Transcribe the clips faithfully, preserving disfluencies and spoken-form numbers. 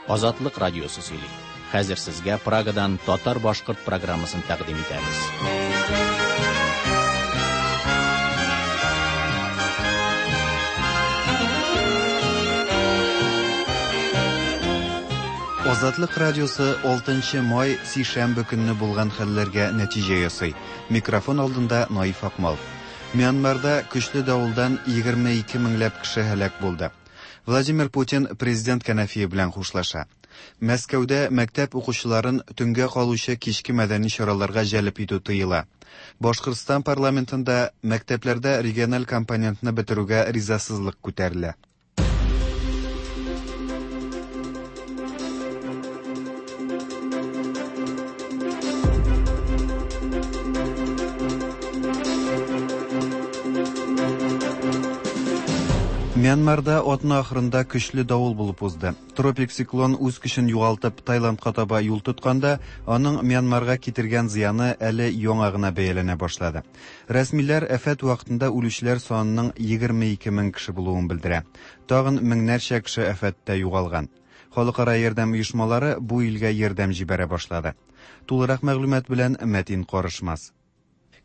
Азатлык радиосы сөйли. Хәзер сезгә Прагадан татар-башкорт программасын тәкъдим итәбез. Азатлык радиосы алтынчы май сишәмбе көнне булган хәлләргә нәтиҗә ясый. Микрофон алдында Наиф Акмал. Мьянмарда көчле давылдан егерме ике меңләп кеше һәлак булды. Владимир Путин президент кәнәфие белән хушлаша. Мәскәүдә мәктәп укучыларын төнгә калучы кичке мәдәни чараларга җәлеп итү тыела. Башкортстан парламентында мәктәпләрдә региональ компонентны бетерүгә ризасызлык күтәрелә. Мьянмарда атна ахырында көчле давыл булып узды. Тропик циклон үз көчен югалтып Таиландка таба юл тотканда, аның Мьянмарга китергән зыяны әле яңа гына бәяләнә башлады. Рәсмиләр афәт вакытында үлүчеләр санының егерме ике мең кеше булуын белдерә. Тагын меңнәрчә кеше афәттә югалган. Халыкара ярдәм оешмалары бу илгә ярдәм җибәрә башлады. Тулырак мәгълүмат белән Мәтин Карышмас.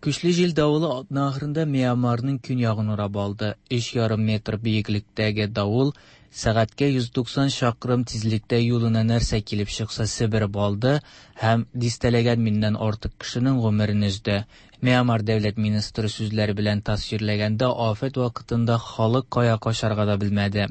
Көчле җил давылы атна ахырында Мьянмарның көньягын урап алды. Өч ярым метр биеклектәге давыл сәгатькә йөз туксан чакрым тизлектә юлына нәрсә килеп чыкса себереп алды һәм дистәләгән меңнән артык кешенең гомерен өзде. Мьянмар дәүләт министры сүзләре белән тасвирләгәндә, афәт вакытында халык кая качарга да белмәде.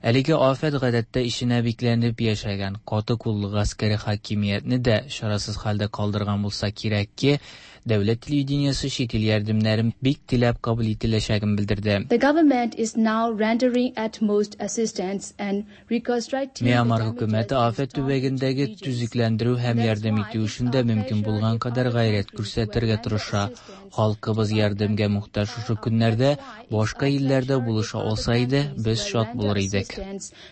Әлеге афәт гадәттә ишенә бикләнеп яшәгән каты куллы гаскәри хакимиятне дә чарасыз хәлдә калдырган булса кирәк ки, дәүләт телевидениесе чит ил ярдәмнәрен бик теләп кабул ителәчәген белдерде. The government is now rendering utmost assistance and reconstructing Мьянмар хөкүмәте афәт төбәгендәге төзекләндерү һәм ярдәм итү эшендә мөмкин булган кадәр гайрәт күрсәтергә тырыша. Халкыбыз ярдәмгә мохтаҗ шушы көннәрдә башка илләрдә булыша алса иде, без шат булыр идек.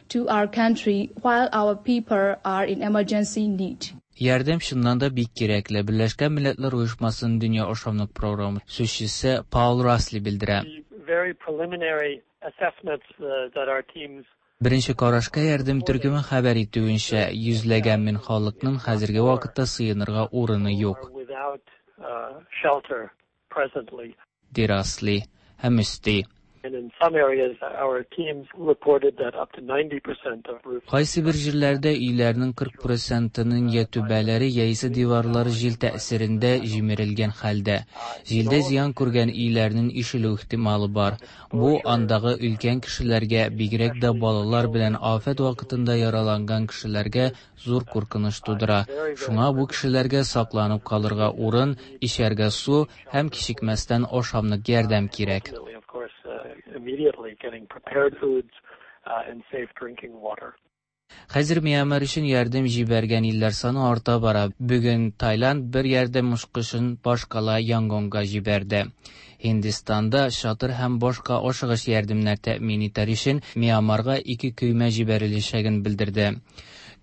To our country while our people are in emergency need. Ярдәм чыннан да бик кирәкле. Берләшкән Милләтләр Оешмасының Дөнья ашамлык програмы сүзчесе Паул Расли белдерә. Very preliminary assessments, uh, that our teams Беренче карашка ярдәм төркеме хәбәр итүенчә, йөзләгән мең халыкның хәзерге вакытта сыенырга урыны юк. Without, uh, shelter presently. Ди Расли һәм өсти. And in some areas, our teams reported that up to ninety percent of roofs. Кайсы бер җирләрдә өйләрнең кырык процентының я түбәләре, яисә диварлары җил тәэсирендә җимерелгән хәлдә. Җилдә зыян күргән өйләрнең ишелү ихтималы бар. Бу андагы өлкән кешеләргә, бигрәк дә балалар белән афәт вакытында яраланган кешеләргә зур куркыныч тудыра. Шуңа бу кешеләргә сакланып калырга урын, эчәргә су һәм кичекмәстән ашамлык ярдәм кирәк. Immediately getting prepared foods, uh, and safe drinking water. Хәзер Мьянмар өчен ярдәм җибәргән илләр саны арта бара. Бүген Таиланд бер ярдәм мушкышын башкала Янгонга җибәрде. Һиндстанда чатыр һәм башка ашыгыч ярдәмнәр тәэмин итәр өчен Мьянмарга ике көймә җибәреләчәген белдерде.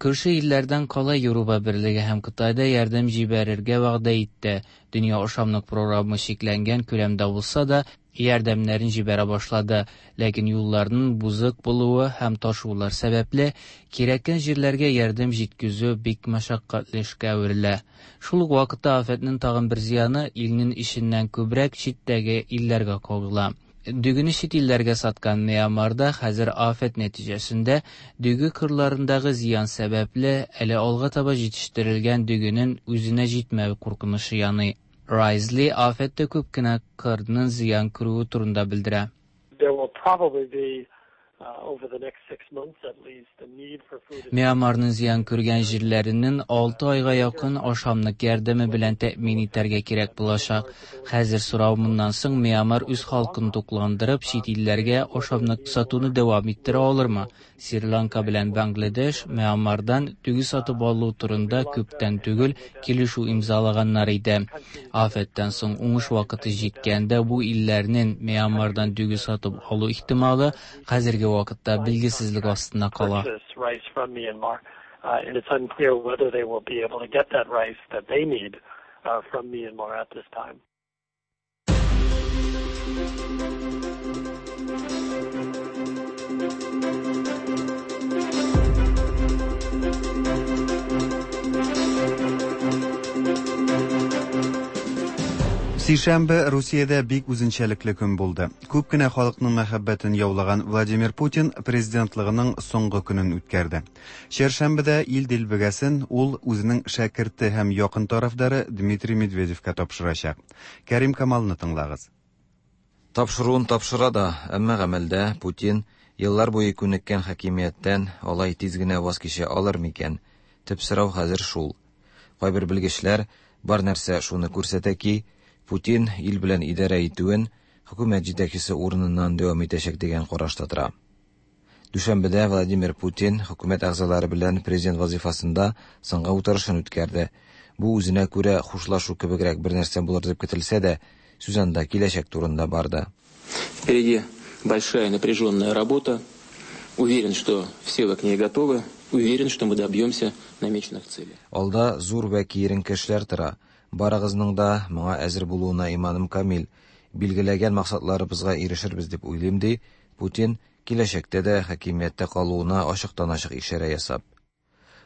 Күрше илләрдән кала Европа Берлеге һәм Кытайда ярдәм җибәрергә вәгъдә итте. Дөнья ашамлык програмы чикләнгән күләмдә булса да, ярдәмнәрен җибәрә башлады. Ләкин юлларның бузык булуы һәм ташулар сәбәпле кирәккән җирләргә ярдәм җиткезү бик мәшәкатьле эшкә әверелә. Шул ук вакытта афәтнең тагын бер зыяны илнең эченнән күбрәк читтәге илләргә кагыла. Дөгене чит илләргә саткан Мьянмарда хәзер афәт нәтиҗәсендә дөге кырларындагы зыян сәбәпле әле алга таба җитештерелгән дөгенең үзенә җитмәве куркынычы яный. Райзли афәттә күп кенә кырның зыян күрүе турында белдерә. There will probably be, uh, over the next six months at least, the need for food. Мьянмарның зыян күргән җирләренең алты айга якын ашамлык ярдәме белән тәэмин итәргә кирәк булачак. Хәзер сорау моннан соң Мьянмар үз халкын тукландырып, чит илләргә ашамлык сатуны дәвам иттерә алырмы? Шри-Ланка белән Бангладеш Мьянмардан дөге сатып алу турында күптән түгел килешү имзалаганнар иде. Афәттән соң уңыш вакыты җиткәндә бу илләрнең Мьянмардан дөге сатып алу ихтималы хәзерге вакытта билгесезлек астында кала. Purchase rice from Myanmar, uh, and it's unclear whether they will be able to get that rice that they need, uh, from Myanmar at this time. Сишәмбе Русиядә бик үзенчәлекле көн булды. Күп кенә халыкның мәхәббәтен яулаган Владимир Путин президентлыгының соңгы көнен үткәрде. Чәршәмбедә ил дилбегәсен ул үзенең шәкерте һәм якын тарафдары Дмитрий Медведевка тапшырачак. Кәрим Камалны тыңлагыз. Тапшыруын тапшыра да, әмма гамәлдә Путин еллар буе күнеккән хакимияттән алай тиз генә ваз кичә алыр микән? Төп сорау хәзер шул. Кайбер белгечләр бар нәрсә шуны күрсәтә ки, Путин ил белән идарә итүен хөкүмәт җитәкчесе урыныннан дәвам итәчәк дигән карашта тора. Дүшәмбедә Владимир Путин хөкүмәт әгъзалары белән президент вазифасында соңгы утырышын үткәрде. Бу үзенә күрә хушлашу кебегрәк бер нәрсә булыр дип көтелсә дә, сүз анда киләчәк турында барды. Впереди большая напряженная работа. Уверен, что все вы к ней готовы. Уверен, что мы добьемся намеченных целей. Алда зур вә киеренке эшләр тора. Барыгызның да моңа әзер булуына иманым камил. Билгеләгән максатларыбызга ирешербез дип уйлыйм, ди Путин киләчәктә дә хакимияттә калуына ачыктан-ачык ишарә ясап.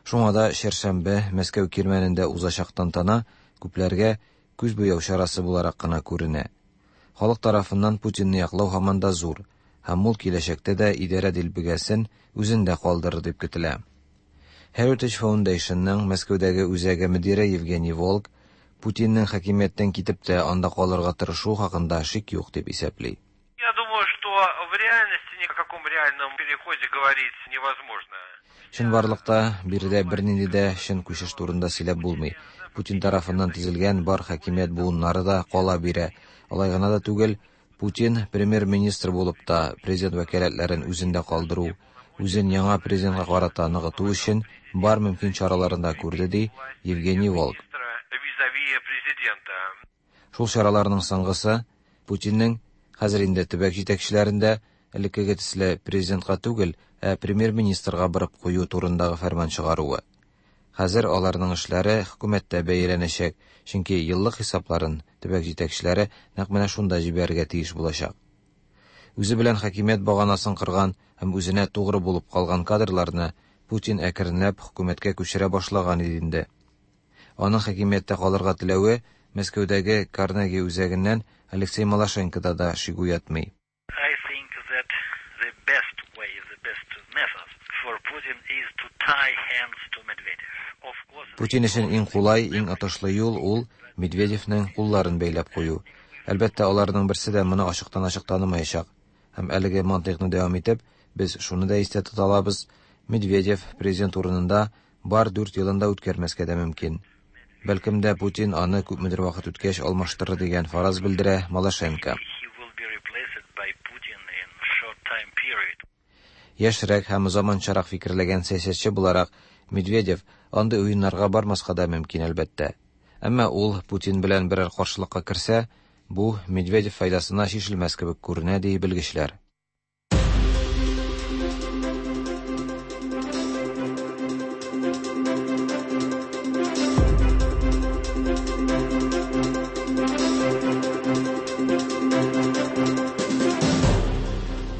Шуңа да чәршәмбе Мәскәү кирмәнендә узачак тантана күпләргә күз буяу чарасы буларак кына күренә. Халык тарафыннан Путинны яклау һаман да зур, һәм ул киләчәктә дә идарә дилбегәсен үзендә калдырыр дип көтелә. Heritage Foundationның Мәскәүдәге үзәге мөдире Евгений Волк Путинның хакимияттән китеп тә анда калырга тырышу хакында шик юк дип исәпли. Я думаю, что в реальности ни о каком реальном переходе говорить невозможно. Чынбарлыкта биредә бернинди дә чын күчеш турында сөйләп булмый. Путин тарафыннан төзелгән бар хакимият буыннары да кала бирә. Алай гына да түгел, Путин премьер-министр булып та президент вәкаләтләрен үзендә калдыру, үзен яңа президентка карата ныгыту өчен бар мөмкин чараларын да күрде, ди Евгений Волк. Шул чараларның соңгысы Путинның хәзер инде төбәк җитәкчеләрендә элеккеге төсле президентка түгел, ә премьер-министрга барып кую турындагы фәрман чыгаруы. Хәзер аларның эшләре хөкүмәттә бәяләнәчәк, чөнки еллык хисапларын төбәк җитәкчеләре нәкъ менә шунда җибәрергә тиеш булачак. Үзе белән хакимият баганасын кырган һәм үзенә тугры булып калган кадрларны Путин әкренләп хөкүмәткә күчерә башлаган иде инде. Аның хакимияттә калырга теләве Мәскәүдәге Карнеги үзәгеннән Алексей Малашенкода да шик уятмый. I think that the best way, the best method for Putin is to tie hands to Medvedev. Of course, Путин өчен иң кулай, иң отышлы юл ул Медведевнең кулларын бәйләп кую. Әлбәттә, аларның берсе дә моны ачыктан-ачык танымаячак. Һәм әлеге мантыйкны дәвам итеп, без шуны да истә тота алабыз: Медведев президент урынында бар дүрт елын да үткәрмәскә дә мөмкин. Бәлкем дә Путин аны күпмедер вакыт үткәч алмаштырыр дигән фараз белдерә Малашенко. he will be replaced by Putin in short time period. Яшьрәк һәм заманчарак фикерләгән сәясәтче буларак Медведев андый уеннарга бармаска да мөмкин әлбәттә. Әмма ул Путин белән берәр каршылыкка керсә, бу Медведев файдасына чишелмәс кебек күренә, ди белгечләр.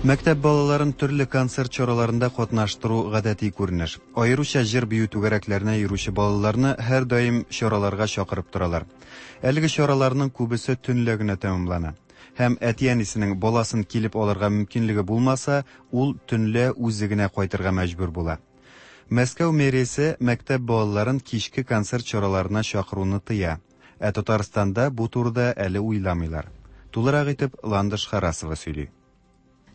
Мәктәп балаларын төрле концерт чараларында катнаштыру гадәти күренеш. Аеруча җыр-бию түгәрәкләренә йөрүче балаларны һәр даим чараларга чакырып торалар. Әлеге чараларның күбесе төнлә генә тәмамлана. Һәм әти-әнисенең баласын килеп алырга мөмкинлеге булмаса, ул төнлә үзе генә кайтырга мәҗбүр була. Мәскәү мэриясе мәктәп балаларын кичке концерт чараларына чакыруны тыя. Ә Татарстанда бу турыда әле уйламыйлар. Тулырак итеп Ландыш Харасова сөйли.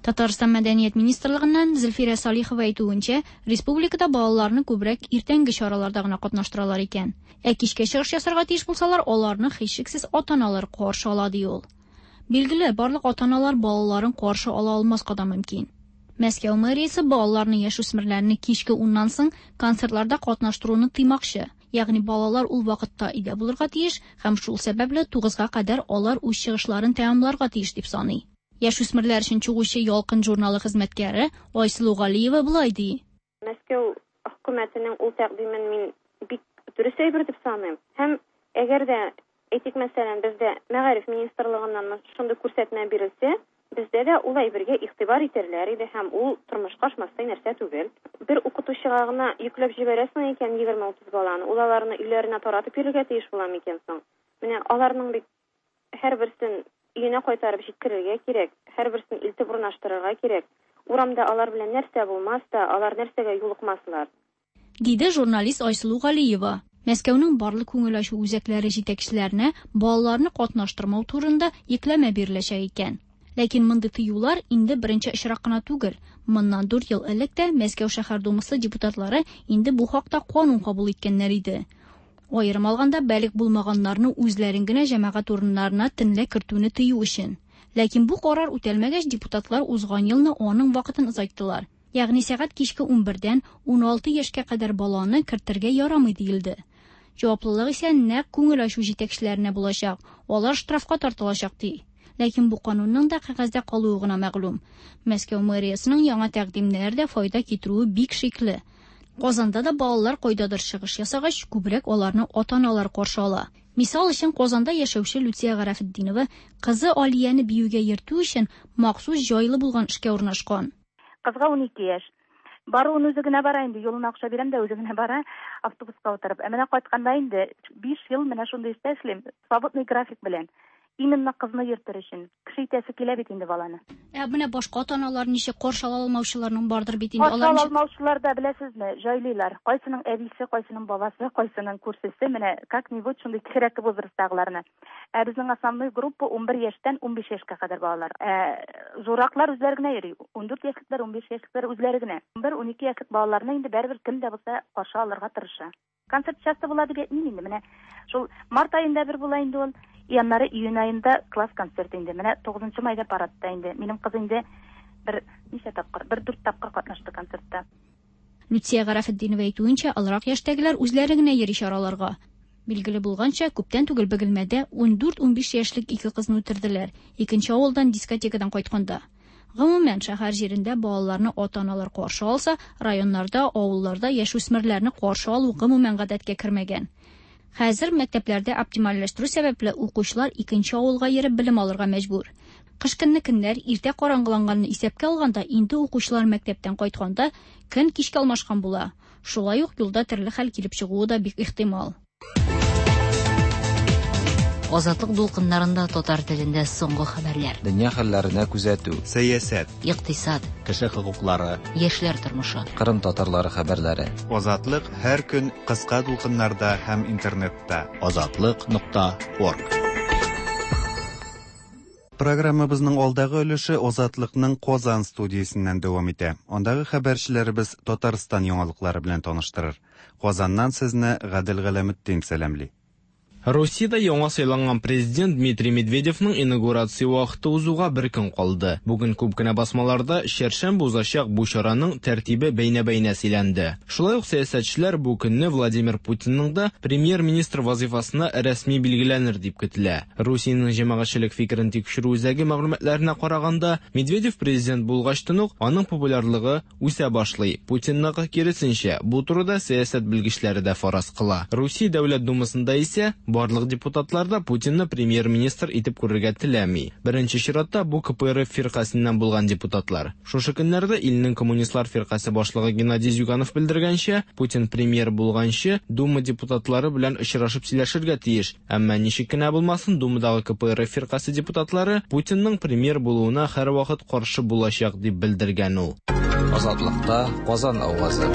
Татарстан Мәдәният министрлыгыннан Зөлфирә Салихова әйтүенчә, республикада балаларны күбрәк иртәнге чараларда гына катнаштыралар икән. Ә кичкә чыгыш ясарга тиеш булсалар, аларны һичшиксез ата-аналар каршы ала, ди ул. Билгеле, барлык ата-аналар балаларын каршы ала алмаска да мөмкин. Мәскәү мэриясе балаларны, яшүсмерләрне кичке уннан соң концертларда катнаштыруны тыймакчы. Ягъни балалар ул вакытта өйдә булырга тиеш һәм шул сәбәпле тугызга кадәр алар үз чыгышларын тәмамларга тиеш дип саный. Яшүсмерләр өчен чыгучы Ялкын журналы хезмәткәре Айсылу Галиева болай ди. Мәскәү хөкүмәтенең ул тәкъдимен мин бик дөрес әйбер дип саныйм. Һәм әгәр дә, әйтик, мәсәлән, бездә мәгариф министрлыгыннан шундый күрсәтмә бирелсә, бездә дә ул әйбергә игътибар итәрләр иде һәм ул тормышка ашмастай нәрсә түгел. Бер укытучыга гына йөкләп җибәрәсең икән егерме утыз баланы, ул аларны өйләренә таратып йөрергә тиеш була микән соң? Менә аларның бит Һәрберсен өенә кайтарып җиткерергә кирәк, һәрберсен илтеп урнаштырырга кирәк. Урамда алар белән нәрсә булмас та, алар нәрсәгә юлыкмаслар. Диде журналист Айсылу Галиева. Мәскәүнең барлык күңел ачу үзәкләре җитәкчеләренә балаларны катнаштырмау турында йөкләмә биреләчәк икән. Ләкин мондый тыюлар инде беренче очрак кына түгел. Моннан дүрт ел элек тә Мәскәү шәһәр думасы депутатлары инде бу хакта канун кабул иткәннәр иде. Аерым алганда, балигъ булмаганнарны үзләрен генә җәмәгать урыннарына төнлә кертүне тыю өчен. Ләкин бу карар үтәлмәгәч, депутатлар узган елны аның вакытын озайттылар. Ягъни сәгать кичке унбердән уналты яшькә кадәр баланы кертергә ярамый диелде. Җаваплылык исә нәкъ күңел ачу җитәкчеләренә булачак. Алар штрафка тартылачак ди. Ләкин бу канунның да кәгазьдә калуы гына мәгълүм. Мәскәү мэриясының яңа тәкъдимнәре дә файда китерүе бик шикле. Казанда да балалар кайдадыр чыгыш ясагач, күбрәк аларны ата-аналар каршы ала. Мисал өчен, Казанда яшәүче Люция Гарафетдинова кызы Алияне биюгә йөртү өчен махсус җайлы булган эшкә урнашкан. Кызга унике яшь. Баруын үзе генә бара инде, юлына акча бирәм дә үзе генә бара, автобуска утырып. Ә менә кайтканда инде биш ел менә шундый эштә эшлим, свободный график белән. Именно кызны йөртер өчен. Кеше итәсе килә бит инде баланы. Ә менә башка ата-аналар ничек каршы ала алмаучыларның бардыр бит инде. Каршы ала алмаучылар да беләсезме, җайлыйлар. Кайсының әбисе, кайсының бабасы, кайсының күршесе, менә как-нибудь шундый кечерәк возрасттагыларны. Ә безнең основной группа унбер яшьтән унбиш яшькә кадәр балалар. Ә зурраклар үзләре генә йөри. Ундүрт яшьлекләр, унбиш яшьлекләр үзләре генә. Унбер-унике яшьлек балаларны инде барыбер кем дә булса каршы алырга тырыша. Концерт часто була дип әйтмим инде. Менә шул март аенда бер була инде ул. Яннары июнь аенда класс концерты инде. Менә тугызынчы майда парадта инде. Минем кыз инде бер ничә тапкыр, бер дүрт тапкыр катнашты концертта. Люция Гарафетдинова әйтүенчә, олырак яшьтәгеләр үзләре генә йөри чараларга. Билгеле булганча, күптән түгел Бөгелмәдә ундүрт-унбиш яшьлек ике кызны үтерделәр. Икенче авылдан дискотекадан кайтканда. Гомумән, шәһәр җирендә балаларны ата-аналар каршы алса, районнарда, авылларда яшүсмерләрне каршы алу гомумән гадәткә кермәгән. Хәзер мәктәпләрдә оптимальләштерү сәбәпле укучылар икенче авылга йөреп белем алырга мәҗбүр. Кыш көнне көннәр иртә караңгыланганны исәпкә алганда, инде укучылар мәктәптән кайтканда көн кичкә алмашкан була. Шулай ук юлда төрле хәл килеп чыгуы да бик ихтимал. Азатлык дулкыннарында татар телендә соңгы хәбәрләр. Дөнья хәлләренә күзәтү, сәясәт, икътисад, кеше хокуклары, яшьләр тормышы, Кырым татарлары хәбәрләре. Азатлык һәр көн кыска дулкыннарда һәм интернетта. Азатлык нокта орг. Программабызның алдагы өлеше Азатлыкның Казан студиясеннән дәвам итә. Андагы хәбәрчеләребез Татарстан яңалыклары белән таныштырыр. Казаннан сезне Гадел Галәметдин сәламли. Русиядә яңа сайланган президент Дмитрий Медведевның инаугурация вакыты узуга бер көн калды. Бүген күп кенә басмаларда чәршәмбе узачак бу чараның тәртибе бәйнә-бәйнә сөйләнде. Шулай ук сәясәтчеләр бу көнне Владимир Путинның да премьер-министр вазифасына рәсми билгеләнер дип көтелә. Русиянең җәмәгатьчелек фикерен тикшерү үзәге мәгълүматларына караганда, Медведев президент булгачтан ук аның популярлыгы үсә башлый. Путинныкы киресенчә, бу турыда сәясәт белгечләре дә фараз кыла. Русия Дәүләт Думасында исә барлык депутатлар да Путинны премьер-министр итеп күрергә теләми. Беренче чиратта бу К П Р Ф фиркасеннән булган депутатлар. Шушы көннәрдә илнең коммунистлар фиркасе башлыгы Геннадий Зюганов белдергәнчә, Путин премьер булганчы Дума депутатлары белән очрашып сөйләшергә тиеш. Әмма ничек кенә булмасын, Думадагы К П Р Ф фиркасе депутатлары Путинның премьер булуына һәрвакыт каршы булачак дип белдергән ул. Азатлыкта Казан авазы.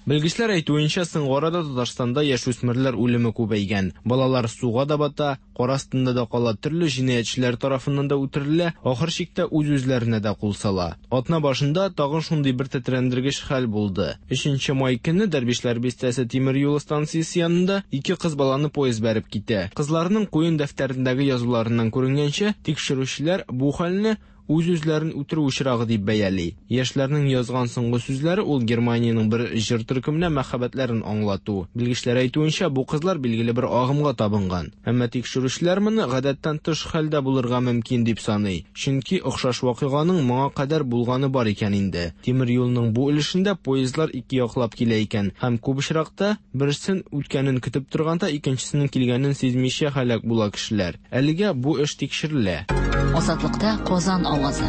Белгечләр әйтүенчә, соңгы арада Татарстанда яшүсмерләр үлеме күбәйгән. Балалар суга да бата, кар астында да кала, төрле җинаятьчеләр тарафыннан да үтерелә, ахыр чиктә үз-үзләренә дә кул сала. Атна башында тагын шундый бер тетрәндергеч хәл булды. Өченче май көнне Дәрвишләр бистәсе тимер юлы станциясе янында ике кыз баланы поезд бәреп китә. Кызларның куен дәфтәрендәге язуларыннан күренгәнчә, тикшерүчеләр бу хәлне үз-үзләрен үтерү очрагы дип бәяли. Яшьләрнең язган соңгы сүзләре ул Германиянең бер җыр төркеменә мәхәббәтләрен аңлату. Белгечләр әйтүенчә, бу кызлар билгеле бер агымга табынган. Әмма тикшерүчеләр моны гадәттән тыш хәлдә булырга мөмкин дип саный. Чөнки охшаш вакыйганың моңа кадәр булганы бар икән инде. Тимер юлның бу өлешендә поездлар ике яклап килә икән һәм күп очракта берсен үткәнен көтеп торганда икенчесенең килгәнен сизмичә һәлак була кешеләр. Әлегә бу эш тикшерелә. Азатлыкта Казан авазы.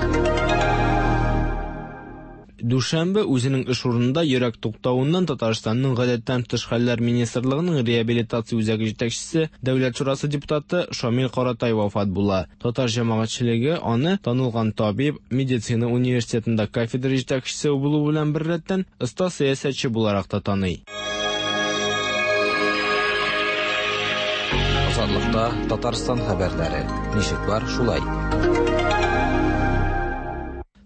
Дүшәмбе үзенең эш урынында йөрәк туктавыннан Татарстанның гадәттән тыш хәлләр министрлыгының реабилитация үзәге җитәкчесе, Дәүләт шурасы депутаты Шамил Каратай вафат була. Татар җәмәгатьчелеге аны танылган табиб, медицина университетында кафедра җитәкчесе булу белән беррәттән оста сәясәтче буларак та таный. Азатлыкта Татарстан хәбәрләре. Ничек бар, шулай.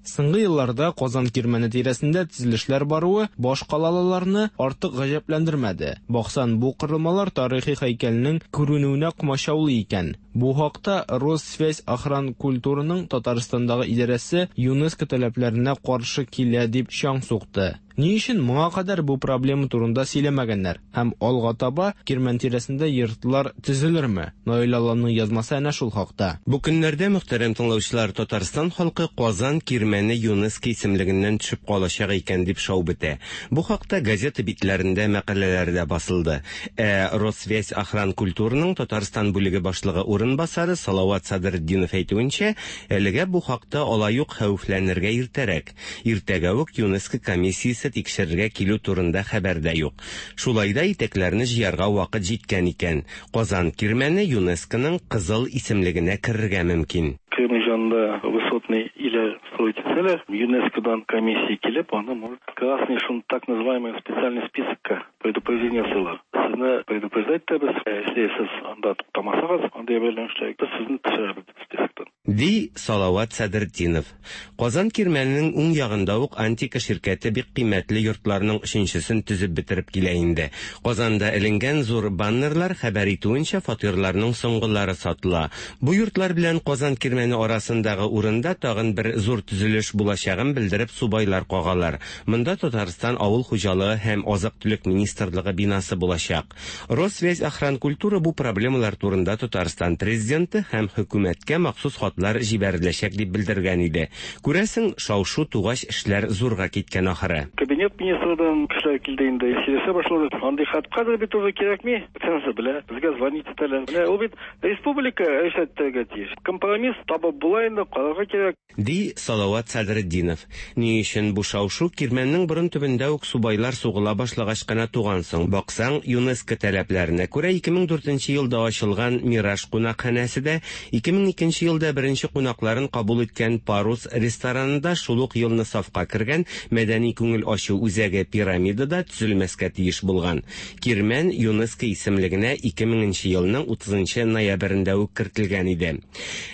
Соңгы елларда Казан Кирмәне тирәсендә төзелешләр баруы башкалалыларны артык гаҗәпләндермәде. Баксаң, бу корылмалар тарихи һәйкәлнең күренүенә комачаулый икән. Бу хакта Россвязьохранкультураның Татарстандагы идарәсе ЮНЕСКО таләпләренә каршы килә дип чаң сукты. Ни өчен моңа кадәр бу проблема турында сөйләмәгәннәр һәм алга таба Кирмән тирәсендә йортлар төзелерме? Наил Алланың язмасы әнә шул хакта. Бу көннәрдә, мөхтәрәм тыңлаучылар, Татарстан халкы Казан Кирмәне ЮНЕСКО исемлегеннән төшеп калачак икән дип шау бетә. Бу хакта газета битләрендә мәкаләләр дә басылды. Ә Россвязьохранкультураның Татарстан бүлеге башлыгы урынбасары Салават Садретдинов әйтүенчә, әлегә бу хакта алай ук хәвефләнергә иртәрәк. Иртәгә үк ЮНЕСКО комиссиясе тикшерергә килү турында хәбәр дә юк. Шулай да итәкләрне җыярга вакыт җиткән икән. Казан Кирмәне ЮНЕСКОның кызыл исемлегенә керергә мөмкин. Кремль янында высотный или строить целях, ЮНЕСКОдан комиссия килеп, аны может красный, шун так называемый специальный списокка предупреждение сыла. Сезне предупреждать итәбез, если сез анда туктамасагыз, анда әйләнешләр, без сезне төшерәбез списоктан. Ди Салават Садретдинов. Казан Кирмәненең уң ягында ук Антика ширкәте бик кыйммәтле йортларның өченчесен төзеп бетереп килә инде. Казанда эленгән зур баннерлар хәбәр итүенчә, фатирларның соңгылары сатыла. Бу йортлар белән Казан Кирмәне арасындагы урында тагын бер зур төзелеш булачагын белдереп субайлар кагалар. Монда Татарстан авыл хуҗалыгы һәм азык-төлек министрлыгы бинасы булачак. Россвязьохранкультура бу проблемалар турында Татарстан президенты һәм хөкүмәткә махсус хатлар җибәреләчәк дип белдергән иде. Күрәсең, шау-шу тугач эшләр зурга киткән ахыры. Кабинет министрдан кешеләр килде инде, сөйләшә башлады. Андый хат кадәр бит уже кирәкми. Бөтенесе белә, безгә звонить итәләр. Менә ул бит республика эшләтергә тиеш. Компромисс табып була инде, карарга кирәк. Ди Салават Садретдинов. Ни өчен бу шау-шу Кирмәннең борын төбендә үк субайлар сугыла башлагач кына туган соң? Баксаң, ЮНЕСКО таләпләренә күрә ике мең дүртенче елда ачылган Мираж кунакханәсе дә, ике мең икенче елда беренче кунакларын кабул иткән Парус ресторанында шул ук елны сафка кергән мәдәни күңел ачу үзәге Пирамида да төзелмәскә тиеш булган. Кирмән ЮНЕСКО исемлегенә ике меңенче елның утызынчы ноябрендә үк кертелгән иде.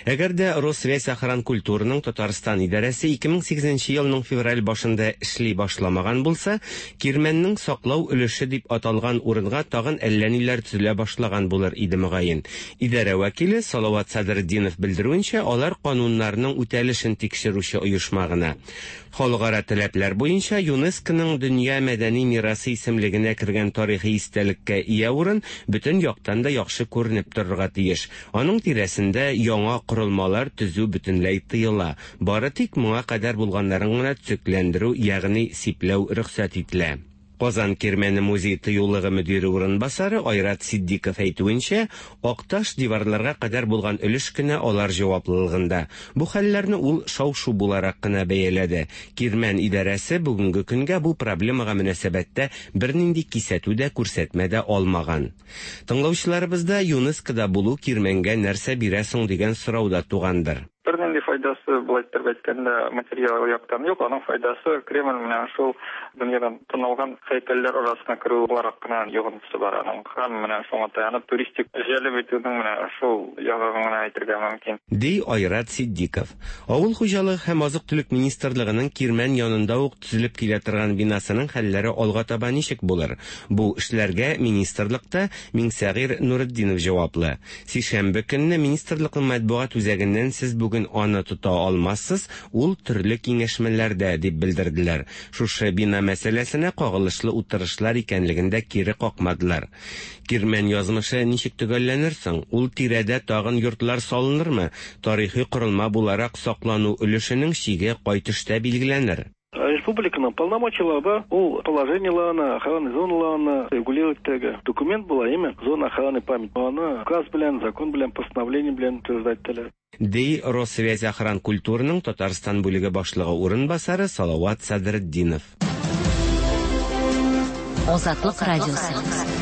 Әгәр дә Россвязьохранкультураның Татарстан идарәсе ике мең сигезенче елның февраль башында эшли башламаган булса, Кирмәннең саклау өлеше дип аталган урынга тагын әллә ниләр төзелә башлаган булыр иде мөгаен. Идарә вәкиле Салават Садретдинов белдерүенчә, алар кануннарның үтәлешен тикшерүче оешма гына. Халыкара таләпләр буенча ЮНЕСКОның дөнья мәдәни мирасы исемлегенә кергән тарихи истәлеккә ия урын бөтен яктан да яхшы күренеп торырга тиеш. Аның тирәсендә яңа корылмалар төзү бөтенләй тыела. Бары тик моңа кадәр булганнарын гына төзекләндерү, ягъни сипләү рөхсәт ителә. Казан Кирмәне музей тыюлыгы мөдире урынбасары Айрат Сиддиков әйтүенчә, Акташ диварларга кадәр булган өлеш кенә алар җаваплылыгында. Бу хәлләрне ул шау-шу буларак кына бәяләде. Кирмән идарәсе бүгенге көнгә бу проблемага мөнәсәбәттә бернинди кисәтү дә, күрсәтмә дә алмаган. Тыңлаучыларыбызда ЮНЕСКОда булу Кирмәнгә нәрсә бирә соң дигән сорау да тугандыр. Бернинди файдасы, былай итеп әйткәндә, материал яктан юк, аның файдасы Кремль менән шул дөньядан танылган һәйкәлләр арасына керү буларак кына йогынтысы бар аның. Һәм менә шуңа таянып туристик җәлеп итүнең менә шул ягын гына әйтергә мөмкин. Ди Айрат Сиддиков. Авыл хуҗалыгы һәм азык-төлек министрлыгының Кирмән янында ук төзелеп килә торган бинасының хәлләре алга таба ничек булыр? Бу эшләргә министрлыкта Миңсәгыйр Нуретдинов җаваплы. Сишәмбе көнне министрлыкның матбугат үзәгеннән сез бүген аны тота алмассыз, ул төрле киңәшмәләрдә дип белдерделәр. Шушы бина мәсьәләсенә кагылышлы утырышлар икәнлеген дә кире какмадылар. Кирмән язмышы ничек төгәлләнер соң? Ул тирәдә тагын йортлар салынырмы? Тарихи корылма буларак саклану өлешенең чиге кай төштә билгеләнер? Республика Республиканың полномочиялары бар, ул положениеларны, охрана зоналарны регулировать итәргә. Документ була, әйме? Зона охраны памяти. Аны указ белән, закон белән, постановление белән утверждать ителә. Ди Россвязьохранкультураның Татарстан бүлеге башлыгы урынбасары Салават Садретдинов. Азатлык радиосы.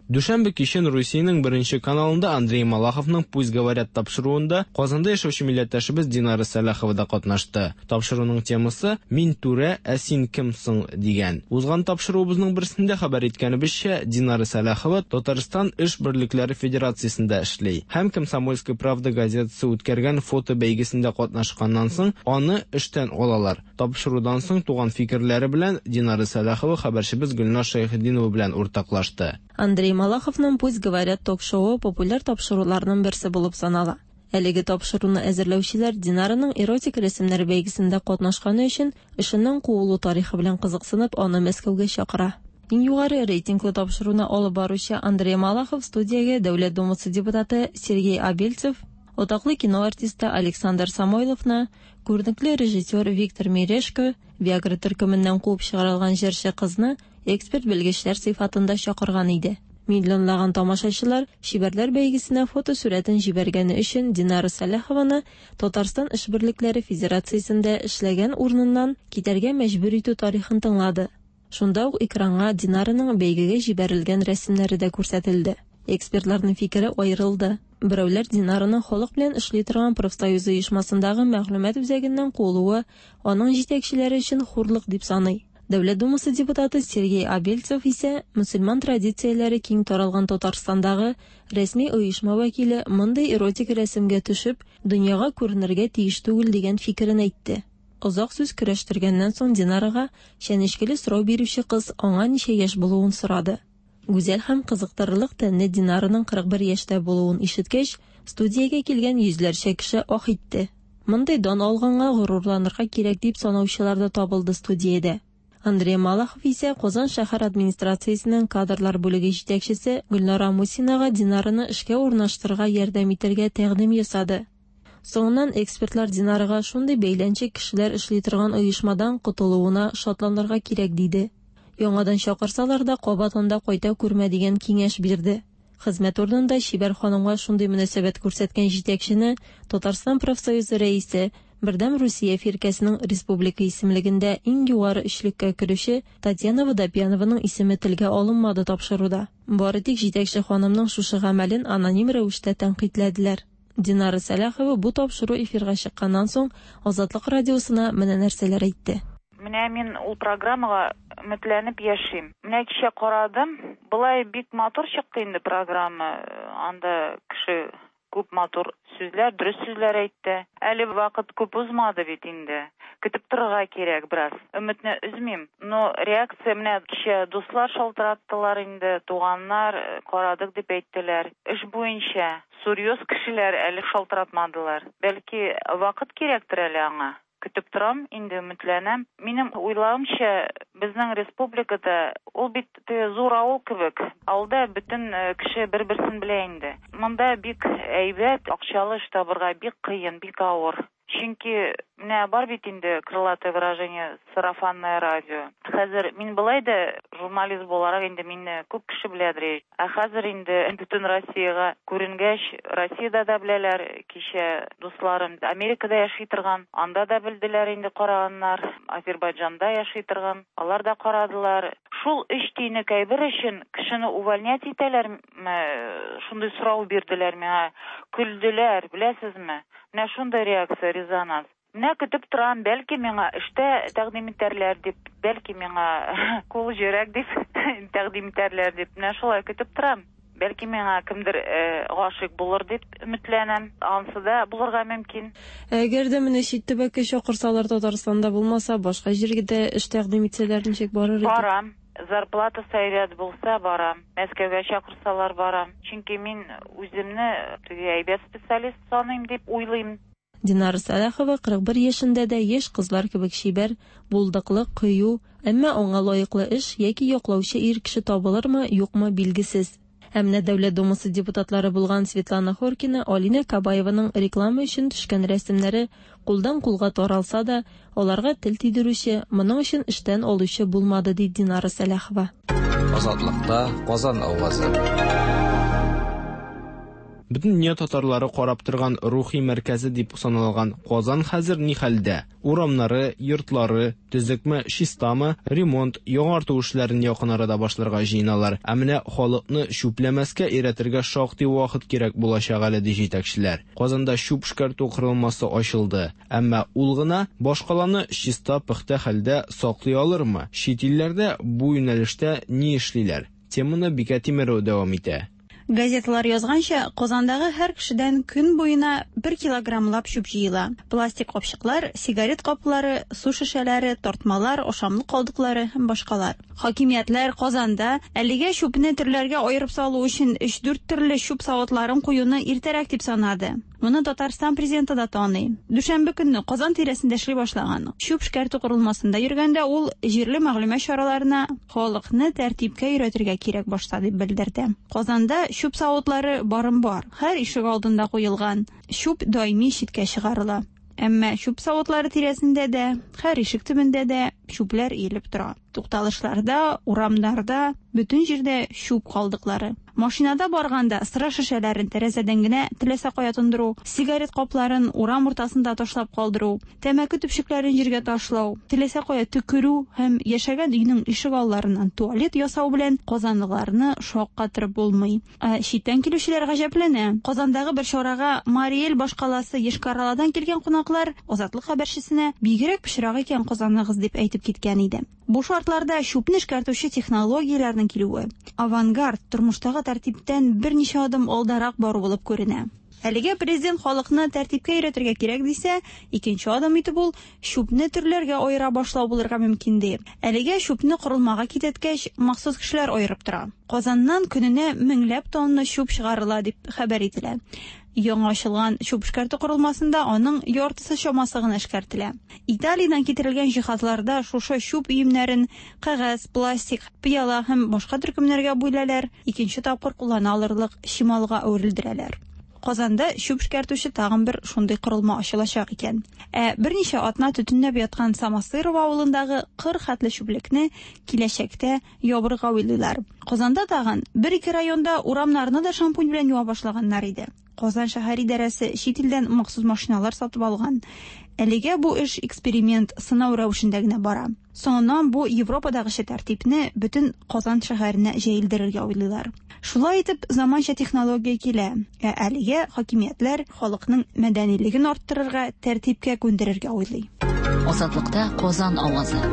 Дүшәмбе кичен Русиянең беренче каналында Андрей Малаховның «Пусть говорят» тапшыруында Казанда яшәүче милләттәшебез Динара Сәлахова да катнашты. Тапшыруның темасы «Мин түрә, ә син кем соң?» дигән. Узган тапшыруыбызның берсендә хәбәр иткәнебезчә, Динара Сәлахова Татарстан эш берлекләре федерациясендә эшли һәм «Комсомольская правда» газетасы үткәргән фото бәйгесендә катнашканнан соң аны эштән алалар. Тапшырудан соң туган фикерләре белән Динара Сәлахова хәбәрчебез Гөлназ Шәйхетдинова белән уртаклашты. Андрей Малаховның «Пусть говорят» ток-шоуы популяр тапшыруларның берсе булып санала. Әлеге тапшыруны әзерләүчеләр Динараның эротик рәсемнәр бәйгесендә катнашканы өчен эшеннән куылу тарихы белән кызыксынып, аны Мәскәүгә чакыра. Иң югары рейтинглы тапшыруны алып баручы Андрей Малахов студиягә Дәүләт Думасы депутаты Сергей Абельцев, атаклы кино артисты Александр Самойловны, күренекле режиссер Виктор Мережко, Виагра төркеменнән куып чыгарылган җырчы кызны эксперт белгечләр сыйфатында чакырган иде. Миллионлаган тамашачылар чибәрләр бәйгесенә фотосурәтен җибәргәне өчен Динара Сәлахованы Татарстан эш берлекләре федерациясендә эшләгән урыныннан китәргә мәҗбүр итү тарихын тыңлады. Шунда ук экранга Динараның бәйгегә җибәрелгән рәсемнәре дә күрсәтелде. Экспертларның фикере аерылды. Берәүләр Динараның халык белән эшли торган профсоюз оешмасындагы мәгълүмат үзәгеннән куылуы аның җитәкчеләре өчен хурлык дип саный. Дәүләт Думасы депутаты Сергей Абельцев исә мөселман традицияләре киң таралган Татарстандагы рәсми оешма вәкиле мондый эротик рәсемгә төшеп, дөньяга күренергә тиеш түгел дигән фикерен әйтте. Озак сүз көрәштергәннән соң Динарага чәнечкеле сорау бирүче кыз аңа ничә яшь булуын сорады. Гүзәл һәм кызыктырырлык тәнле Динараның кырык бер яшьтә булуын ишеткәч, студиягә килгән йөзләрчә кеше ах итте. Мондый дан алганга горурланырга кирәк дип санаучылар да табылды студиядә. Андрей Малахов исә Казан шәһәр администрациясенең кадрлар бүлеге җитәкчесе Гөлнара Мусинага Динараны эшкә урнаштырырга ярдәм итәргә тәкъдим ясады. Соңыннан экспертлар Динарага шундый бәйләнчек кешеләр эшли торган оешмадан котылуына шатланырга кирәк диде. Яңадан чакырсалар да кабат анда кайта күрмә дигән киңәш бирде. Хезмәт урынында чибәр ханымга шундый мөнәсәбәт күрсәткән җитәкчене Татарстан профсоюзы рәисе, Бердәм Русия фиркәсенең республика исемлегендә иң югары өчлеккә керүче Татьяна Водопьянованың исеме телгә алынмады тапшыруда. Бары тик җитәкче ханымның шушы гамәлен аноним рәвештә тәнкыйтьләделәр. Динара Сәлахова бу тапшыру эфирга чыкканнан соң Азатлык радиосына менә нәрсәләр әйтте. Менә мин ул программага өметләнеп яшим. Менә кичә карадым, былай бик матур чыкты инде программа. Анда кеше күп матур сүзләр, дөрес сүзләр әйтте. Әле вакыт күп узмады бит инде. Көтеп торырга кирәк бераз. Өметне өзмим. Но реакция менә кичә дуслар шалтыраттылар инде, туганнар карадык дип әйттеләр. Эш буенча серьез кешеләр әле шалтыратмадылар. Бәлки вакыт кирәктер әле аңа. Көтеп торам, инде өметләнәм. Минем уйлавымча, безнең республикада ул бит зур авыл кебек. Авылда бөтен кеше бер-берсен белә инде. Монда бик әйбәт, акчалы эш табырга бик кыен, бик авыр. Чөнки менә бар бит инде крылатое выражение сарафанное радио. Хәзер мин былай да журналист буларак инде мине күп кеше беләдер. Ә хәзер инде бөтен Россиягә күренгәч, Россиядә дә беләләр, кичә дусларым Америкада яши торган, анда да белделәр инде караганнар, Азербайҗанда яши торган, алар да карадылар. Шул өч тиенлек әйбер өчен кешене увольнять итәләрме? Шундый сорау бирделәр миңа, көлделәр, беләсезме? Менә шундый реакция, резонанс. Менә көтеп торам, бәлки миңа эштә тәкъдим итәрләр дип, бәлки миңа кул җөрәк дип тәкъдим итәрләр дип. Менә шулай көтеп торам. Бәлки миңа кемдер гашыйк булыр дип өметләнәм. Ансы да булырга мөмкин. Әгәр дә менә чит төбәккә чакырсалар, Татарстанда булмаса, башка җиргә дә эш тәкъдим итсәләр, ничек барыр идек? Барам. Зарплатасы әйбәт булса барам. Мәскәүгә чакырсалар барам. Чөнки мин үземне теге әйбәт специалист саныйм дип уйлыйм. Динара Сәлахова кырык бер яшендә дә яшь кызлар кебек чибәр, булдыклы, кыю, әмма аңа лаеклы эш яки яклаучы ир кеше табылырмы, юкмы билгесез. Ә менә Дәүләт Думасы депутатлары булган Светлана Хоркина, Алинә Кабаеваның реклама өчен төшкән рәсемнәре кулдан кулга таралса да, аларга тел тидерүче, моның өчен эштән алучы булмады, ди Динара Сәлахова. Азатлыкта Казан авазы. Бөтен дөнья татарлары карап торган рухи мәркәзе дип саналган Казан хәзер ни хәлдә? Урамнары, йортлары төзекме, чистамы, ремонт, яңарту эшләрен якын арада башларга җыеналар. Ә менә халыкны чүпләмәскә өйрәтергә шактый вакыт кирәк булачак әле, ди җитәкчеләр. Казанда чүп эшкәртү корылмасы ачылды. Әмма ул гына башкаланы чиста, пөхтә хәлдә саклый алырмы? Чит илләрдә бу юнәлештә ни эшлиләр? Теманы Бикә Тимерова дәвам итә. Газеталар язганча, Казандагы һәр кешедән көн буена бер килограммлап чүп җыела. Пластик капчыклар, сигарет каплары, су шешәләре, тартмалар, ашамлык калдыклары һәм башкалар. Хакимиятләр Казанда әлегә чүпне төрләргә аерып салу өчен өч-дүрт төрле чүп савытларын куюны иртәрәк дип санады. Моны Татарстан президенты да таный. Дүшәмбе көнне Казан тирәсендә эшли башлаган. Чүп эшкәртү корылмасында йөргәндә ул җирле мәгълүмат чараларына халыкны тәртипкә өйрәтергә кирәк башта дип белдерде. Казанда чүп савытлары барым бар. Һәр ишек алдында куелган. Чүп даими читкә чыгарыла. Әмма чүп савытлары тирәсендә дә, һәр ишек төбендә дә чүпләр иелеп тора. Тукталышларда, урамнарда, бөтен җирдә чүп калдыклары. Машинада барганда сыра шешәләрен тәрәзәдән генә теләсә кая тондыру, сигарет капларын урам уртасында ташлап калдыру, тәмәке төпчекләрен җиргә ташлау, теләсә кая төкерү һәм яшәгән өйнең ишек алларыннан туалет ясау белән казанлыларны шаккатырып булмый. Ә читтән килүчеләр гаҗәпләнә. Казандагы бер чарага Мариэль башкаласы Йошкар-Оладан килгән кунаклар Азатлык хәбәрчесенә бигрәк пычрак икән Казаныгыз дип әйтеп киткән иде. Бу шартларда чүпне эшкәртүче технологияләрнең килүе авангард тормыштагы тәртиптән берничә адым алдарак бару булып күренә. Әлегә президент халыкны тәртипкә өйрәтергә кирәк дисә, икенче адым итеп ул чүпне төрләргә аера башлау булырга мөмкин ди. Әлегә чүпне корылмага китәткәч, махсус кешеләр аерып тора. Казаннан көненә меңләп тонна чүп чыгарыла дип хәбәр ителә. Яңа ачылган чүп эшкәртү корылмасында аның яртысы чамасы гына эшкәртелә. Италиядән китерелгән җиһазларда шушы чүп өемнәрен кәгазь, пластик, пыяла һәм башка төркемнәргә бүләләр, икенче тапкыр куллана алырлык чималга әверелдерәләр. Казанда чүп эшкәртүче тагын бер шундый корылма ачылачак икән. Ә берничә атна төтенләп яткан Самосырова авылындагы кыр хәтле чүплекне киләчәктә ябырга уйлыйлар. Казанда тагын бер-ике районда урамнарны да шампунь белән юа башлаганнар иде. Казан шәһәр идарәсе чит илдән махсус машиналар сатып алган. Әлегә бу эш эксперимент, сынау рәвешендә генә бара. Соңыннан бу Европадагыча тәртипне бөтен Казан шәһәренә җәелдерергә уйлыйлар. Шулай итеп, заманча технология килә. Ә әлегә хакимиятләр халыкның мәдәнилеген арттырырга, тәртипкә күндерергә уйлый. Азатлыкта Казан авазы.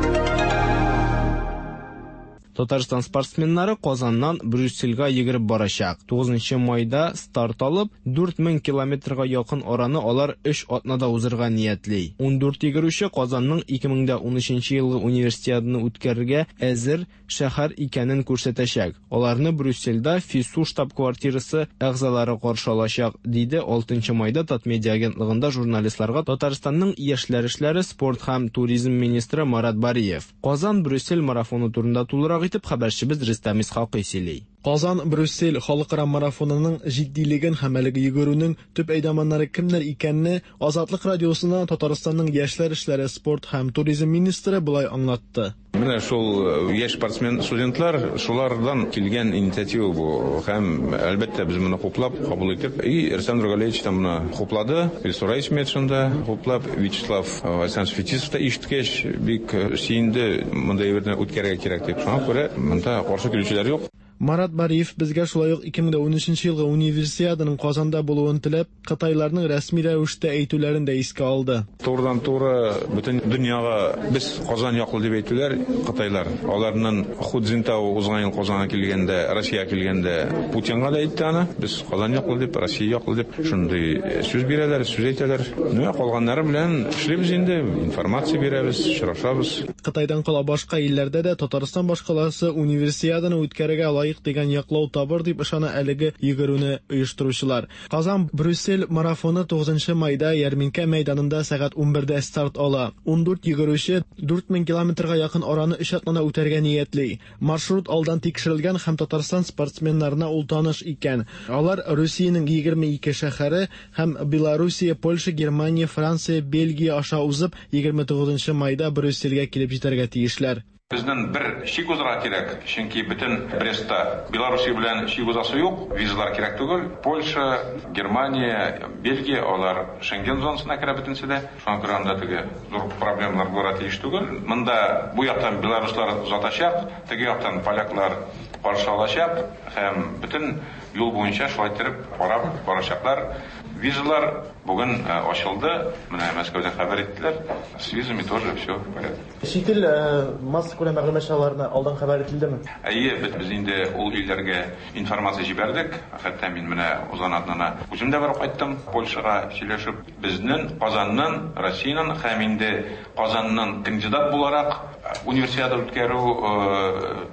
Татарстан спортсменнары Казаннан Брюссельгә йөгереп барачак. тугызынчы майда старт алып, дүрт мең километрга якын араны алар өч атнада узырга ниятли. Ундүрт йөгерүче Казанның ике мең дә унөченче елгы универсиаданы үткәрергә әзер шәһәр икәнен күрсәтәчәк. Аларны Брюссельдә ФИСУ штаб-квартирасы әгъзалары каршы алачак, диде алтынчы майда Татмедиа агентлыгында журналистларга Татарстанның яшьләр эшләре, спорт һәм туризм министры Марат Бариев. Казан Брюссель марафоны турында тулырак итеп хәбәрчебез Рөстәм Исхакый сөйли. Казан-Брюссель халыкара марафонының җитдилеген һәм әлеге йөгерүнең төп әйдаманнары кемнәр икәнне Азатлык радиосына Татарстанның яшьләр эшләре, спорт һәм туризм министры болай аңлатты. Менә шул яшь спортсмен студентлар, шулардан килгән инициатива бу. Һәм әлбәттә без моны хуплап, кабул итеп, и Рөстәм Нургалиевич та моны хуплады, Илсур Метшин да хуплап, Вячеслав Александрович Фетисов та ишеткәч бик сөенде, мондай әйберне үткәрергә кирәк дип. Шуңа күрә монда каршы килүчеләр юк. Марат Бариев безгә шулай ук ике мең дә унөченче елгы универсиаданың Казанда булуын теләп, Кытайларның рәсми рәвештә әйтүләрен дә искә алды. Турыдан-туры бөтен дөньяга без Казан яклы дип әйтүләр Кытайлар. Аларның Ху Цзиньтао узган ел Казанга килгәндә, Россиягә килгәндә Путинга да әйтте аны, без Казан яклы дип, Россия яклы дип шундый сүз бирәләр, сүз әйтәләр. Менә калганнары белән эшлибез инде, информация бирәбез, очрашабыз. Кытайдан кала башка илләрдә дә Татарстан башкаласы универсиаданы үткәрергә лаек дигән яклау табыр дип ышана әлеге йөгерүне оештыручылар. Казан Брюссель марафоны тугызынчы майда Ярминкә мәйданында сәгать унбердә старт ала. Ундүрт йөгерүче дүрт мең километрга якын араны өч атнада үтәргә ниятли. Маршрут алдан тикшерелгән һәм Татарстан спортсменнарына ул таныш икән. Алар Русиянең егерме ике шәһәре һәм Белоруссия, Польша, Германия, Франция, Бельгия аша узып егерме тугызынчы майда Брюссельгә килеп җитәргә тиешләр. Безнең бер чик узарга кирәк, чөнки бөтен Брестта Белоруссия белән чик узасы юк, визалар кирәк түгел. Польша, Германия, Бельгия алар Шенген зонасына керә бөтенесе дә. Шуңа күрә анда теге зур проблемалар булырга тиеш түгел. Монда бу яктан белоруслар озатачак, теге яктан поляклар каршы алачак һәм бөтен юл буенча шулай итеп карап барачаклар. Визалар бүген ачылды. Менә Мәскәүдән хәбәр иттеләр. С визами тоже все в порядке. Чит ил массакүләм мәгълүмат чараларына алдан хәбәр ителдеме? Әйе, без инде ул илләргә информация җибәрдек. Хәтта мин менә узган атнада үзем дә барып кайттым Польшага сөйләшеп. Безнең Казаннан, Россиянең һәм инде Казаннан кандидат буларак универсиада үткәрү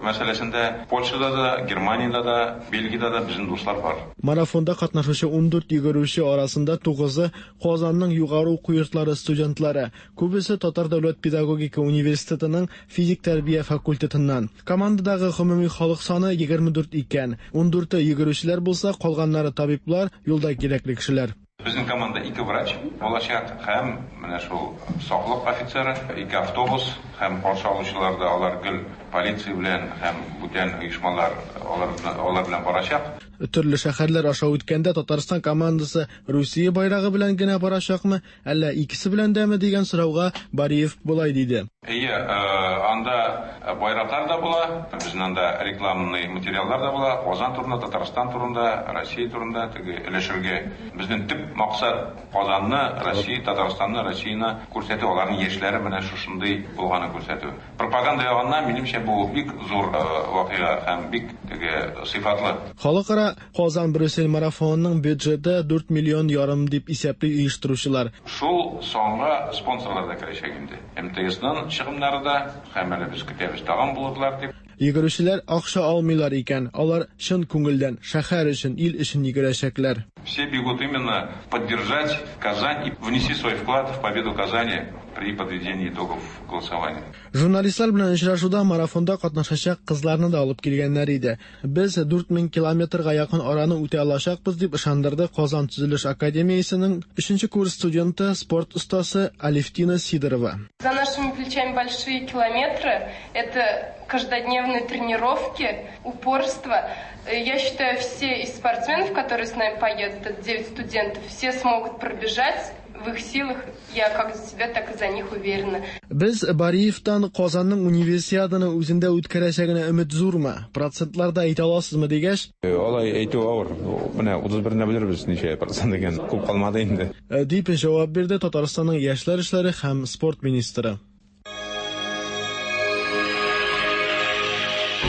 мәсьәләсендә Польшада да, Германиядә дә, Бельгиядә дә безнең дуслар бар. Марафонда катнашучы ундүрт йөгерүче арасында тугызы Казанның югары уку йортлары студентлары, күбесе Татар дәүләт педагогика университетының физик тәрбия факультетыннан. Командадагы гомуми халык саны егерме дүрт икән. Ундүрте йөгерүчеләр булса, калганнары табиблар, юлда кирәкле кешеләр. Безнең команда ике врач булачак һәм менә шул саклык офицеры, ике автобус һәм каршы алучылар да алар гел полиция белән һәм бүтән оешмалар алар, алар белән барачак. Төрле шәһәрләр аша үткәндә Татарстан командасы Русия байрагы белән генә барачакмы, әллә икесе белән дәме дигән сорауга Бариев болай диде. Әйе, анда байраклар да була, безнең анда рекламный материаллар да була, Казан турында, Татарстан турында, Россия турында теге өләшергә. Безнең төп максат Казанны, Россия, Татарстанны, Россияне күрсәтү, аларның яшьләре менә шушындый булганын күрсәтү. Пропаганда ягыннан минемчә бу бик зур вакыйга һәм бик теге сыйфатлы. Халыкара Казан Брюссель марафонының бюджеты дүрт миллион ярым дип исәпли оештыручылар. Шул санга спонсорлар да керәчәк инде. эм тэ эсның чыгымнары да һәм әле без көтәбез тагын булырлар дип. Йөгерүчеләр акча алмыйлар икән, алар чын күңелдән шәһәр өчен, ил өчен йөгерәчәкләр. Все бегут именно поддержать Казань и внести свой вклад в победу Казани при подведении итогов голосования. Журналистлар белән очрашуда марафонда катнашачак кызларны да алып килгәннәр иде. Без дүрт мең километрга якын араны үтә алачакбыз дип ышандырды Казан төзелеш академиясенең өченче курс студенты, спорт остасы Алевтина Сидорова. За нашими плечами большие километры, это каждодневные тренировки, упорство. Я считаю, все из спортсменов, которые с нами поедут, это девять студентов, все смогут пробежать. В их силах, я как за себя, так и за них уверена. Без Бариевтан Казанның универсиаданы үзендә үткәрәчәгенә өмет зурмы? Процентларда әйтә аласызмы дигәч? Алай әйтү авыр. Менә утыз берендә белербез ничә процент икән. Күп калмады инде. Дип җавап бирде Татарстанның яшьләр эшләре һәм спорт министры.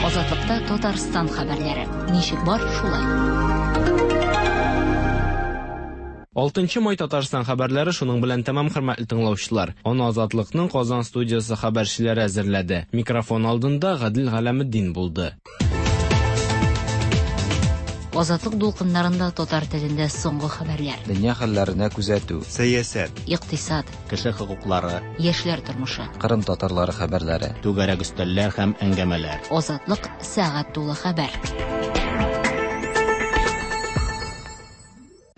Азатлыкта Татарстан хәбәрләре. Ничек бар, шулай. Алтынчы май Татарстан хәбәрләре шуның белән тәмам, хөрмәтле тыңлаучылар. Аны Азатлыкның Казан студиясе хәбәрчеләре әзерләде. Микрофон алдында Гадил Галәметдин булды. Азатлык дулкыннарында татар телендә соңгы хәбәрләр. Дөнья хәлләренә күзәтү, сәясәт, икътисад, кеше хокуклары, яшьләр тормышы, Кырым татарлары хәбәрләре, түгәрәк өстәлләр һәм әңгәмәләр. Азатлык сәгать тулы хәбәр.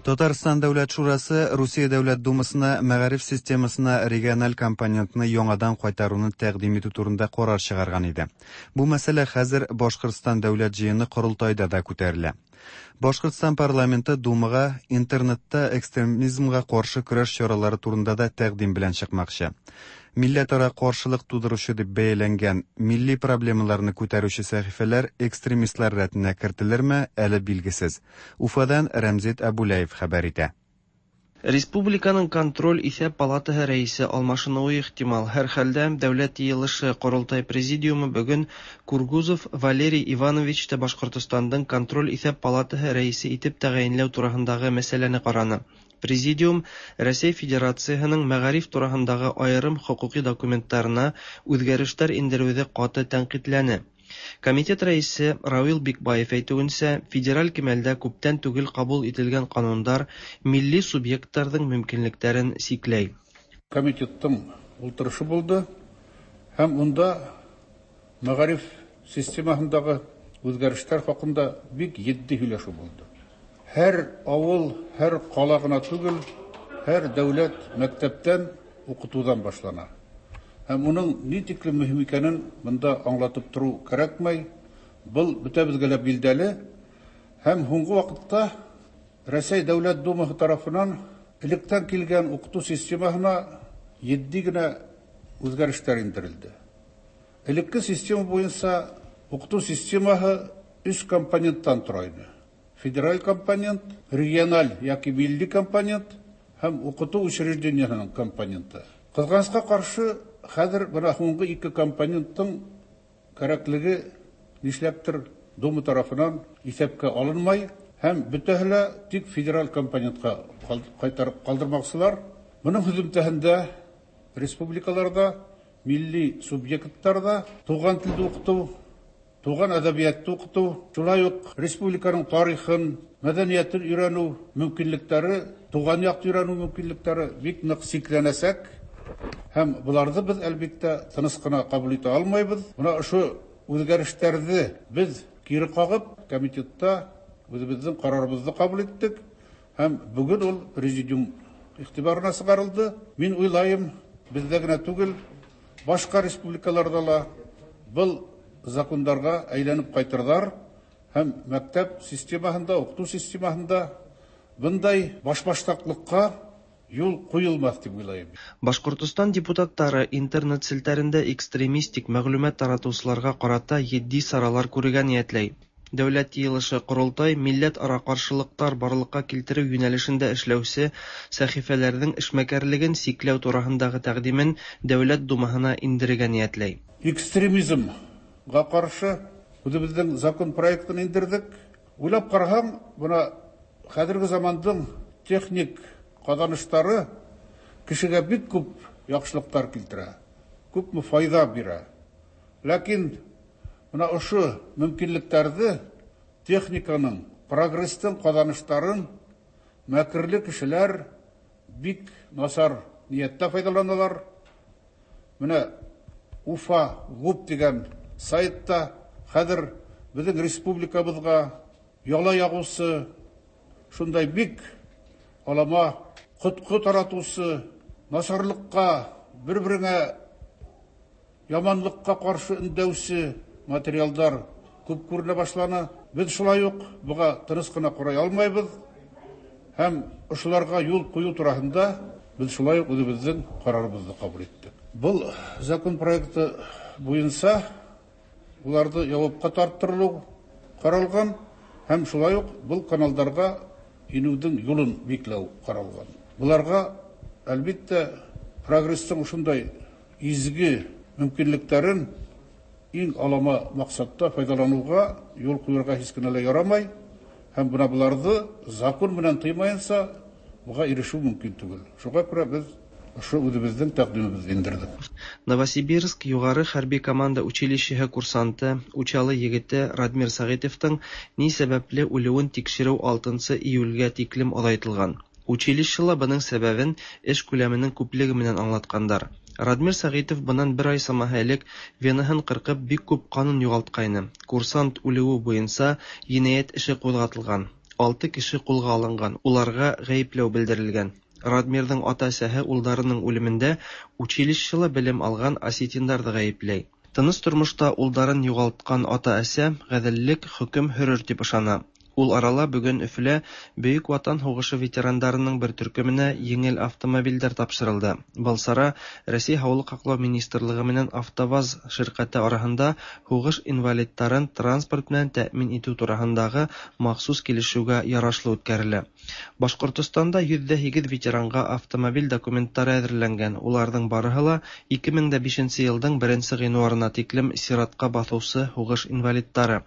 Татарстан Дәүләт Шурасы Русия Дәүләт Думасына мәгариф системасына региональ компонентны яңадан кайтаруны тәкъдим итү турында карар чыгарган иде. Бу мәсьәлә хәзер Башкортстан Дәүләт җыены корылтайда да күтәрелә. Башкортстан парламенты Думага интернетта экстремизмга каршы көрәш чаралары турында да тәкъдим белән чыкмакчы. Милләтара каршылык тудыручы дип бәяләнгән милли проблемаларны күтәрүче сәхифәләр экстремистлар рәтенә кертелерме, әле билгесез. Уфадан Рәмзит Абулаев хәбәр итә. Республиканың контроль-исәп палатаһы рәисе алмашынуы ихтимал. Һәрхәлдә, Дәүләт Йыелышы-Корылтай президиумы бүген Кургузов Валерий Ивановичты Башкортостандың контроль-исәп палатаһы рәисе итеп тәгаенләү тураһындагы мәсьәләне караны. Президиум Рәсәй Федерацияһының мәгариф тураһындагы аерым хокукый документтарына үзгәрешләр индерүҙе каты тәнҡитләне. Комитет рәисе Равил Бикбаев әйтеүенсә, федераль кимәлдә күптән түгел ҡабул ителгән ҡанундар милли субъекттарҙың мөмкинлектәрен сикләй. Комитеттың ултырышы булды һәм унда мәгариф системаһындағы үҙгәрештәр хаҡында бик етди һөйләшеү булды. Һәр ауыл, һәр ҡала ғына түгел, һәр дәүләт мәктәптән уҡытыуҙан башлана. Һәм уның ни тиклем мөһим икәнен бында аңлатып тороу кәрәкмәй. Был бөтәбеҙгә лә билдәле. Һәм һуңғы ваҡытта Рәсәй Дәүләт Думаһы тарафынан электән килгән уҡытыу системаһына етди генә үҙгәрештәр индерелде. Элекке система буйынса уҡытыу системаһы өс компоненттан тора ине. Федераль компонент, региональ йәки милли компонент һәм уҡытыу учреждениеһының компоненты. Ҡыҙғанысҡа ҡаршы, хәҙер бына һуңғы ике компоненттың кәрәклеге нишләптер Дума тарафынан иҫәпкә алынмай һәм бөтәһе лә тик федераль компонентҡа ҡайтарып ҡалдырмаҡсылар. Бының һөҙөмтәһендә республикаларҙа, милли субъекттарҙа туған телде уҡытыу, туған әҙәбиәтте уҡытыу, шулай уҡ республиканың тарихын, мәҙәниәтен өйрәнеү мөмкинлектәре, туған яҡты өйрәнеү мөмкинлектәре бик ныҡ сикләнәсәк. Һәм быларҙы беҙ әлбиттә тыныс ҡына ҡабул итә алмайбыҙ. Бына ошо үҙгәрештәрҙе беҙ кире ҡағып, комитетта үҙебеҙҙең ҡарарыбыҙҙы ҡабул иттек. Һәм бөгөн ул президиум иғтибарына сығарылды. Мин уйлайым, беҙҙә генә түгел, башҡа республикаларҙа ла был закондарға әйләнеп ҡайтырҙар һәм мәктәп системаһында, уҡытыу системаһында бындай башбаштаҡлыҡҡа юл ҡуйылмаҫ тип уйлайым. Башҡортостан депутаттары интернет селтәрендә экстремистик мәғлүмәт таратыусыларға ҡарата етди саралар күрергә ниәтләй. Дәүләт Йыйылышы-Ҡоролтай милләт-ара ҡаршылыҡтар барлыҡҡа килтереү йүнәлешендә эшләүсе сәхифәләрҙең эшмәкәрлеген сикләү тураһындағы тәҡдимен Дәүләт Думаһына индерергә ниәтләй. Экстремизмға ҡаршы үҙебеҙҙең закон проектын индерҙек. Уйлап ҡараһаң, бына хәҙерге замандың техник ҡаҙаныштары кешегә бик күп яҡшылыҡтар килтерә, күпме файҙа бирә. Ләкин бына ошо мөмкинлектәрҙе техниканың, прогресстың ҡаҙаныштарын мәкерле кешеләр бик насар ниәттә файҙаланалар. Бына Уфа ГУП тигән сайтта хәҙер беҙҙең республикабыҙға яла яғыусы шундай бик алама ҡотҡо таратыусы, насарлыҡҡа, бер-береңә яманлыҡҡа ҡаршы өндәүсе материалдар күп күренә башланы. Беҙ шулай уҡ быға тыныс ҡына ҡарай алмайбыҙ һәм ошоларға юл ҡуйыу тураһында беҙ шулай уҡ үҙебеҙҙең ҡарарыбыҙҙы ҡабул иттек. Был закон проекты буйынса уларҙы яуапҡа тарттырылыу ҡаралған һәм шулай уҡ был каналдарға инеүҙең юлын бикләү ҡаралған. Быларға, әлбиттә, прогресстың ошондай изге мөмкинлектәрен иң алама маҡсатта файҙаланыуға юл ҡуйырға һис кенә лә ярамай һәм бына быларҙы закон менән тыймайынса быға ирешеү мөмкин түгел. Шуға күрә беҙ ошо үҙебеҙҙең тәҡдимебеҙҙе индерҙек. Новосибирск юғары хәрби команда училищеһы курсанты, Учалы егете Радмир Сәғитовтың ни сәбәпле үлеүен тикшереү алтынсы июлгә тиклем оҙайтылған. Училищела бының сәбәбен эш күләменең күплеге менән аңлатҡандар. Радмир Сәғитов бынан бер ай самаһы элек венаһын ҡырҡып бик күп ҡанын юғалтҡайны. Курсант үлеүе буйынса енәйәт эше ҡуҙғатылған. Алты кеше ҡулға алынған, уларға ғәйепләү белдерелгән. Радмирҙың ата-әсәһе улдарының үлемендә училищела белем алған осетиндарҙы ғәйепләй. Тыныс тормошта улдарын юғалтҡан ата-әсә ғәҙеллек хөкөм һөрөр тип ышана. Ул арала бүген Өфөлә Бөек Ватан һуғышы ветерандарының бер төркөмөнә еңел автомобилдәр тапшырылды. Был сара Рәсәй Һаулыҡ һаҡлау министрлығы менән АвтоВАЗ ширҡәте араһында һуғыш инвалидтарын транспорт менән тәьмин итеү тураһындағы махсус килешеүгә ярашлы үткәрелә. Башҡортостанда йөҙ ҙә һигеҙ ветеранға автомобиль документтары әҙерләнгән. Уларҙың барыһы ла ике мең дә бишенсе йылдың беренсе ғинуарына тиклем сиратҡа баҫыусы һуғыш инвалидтары.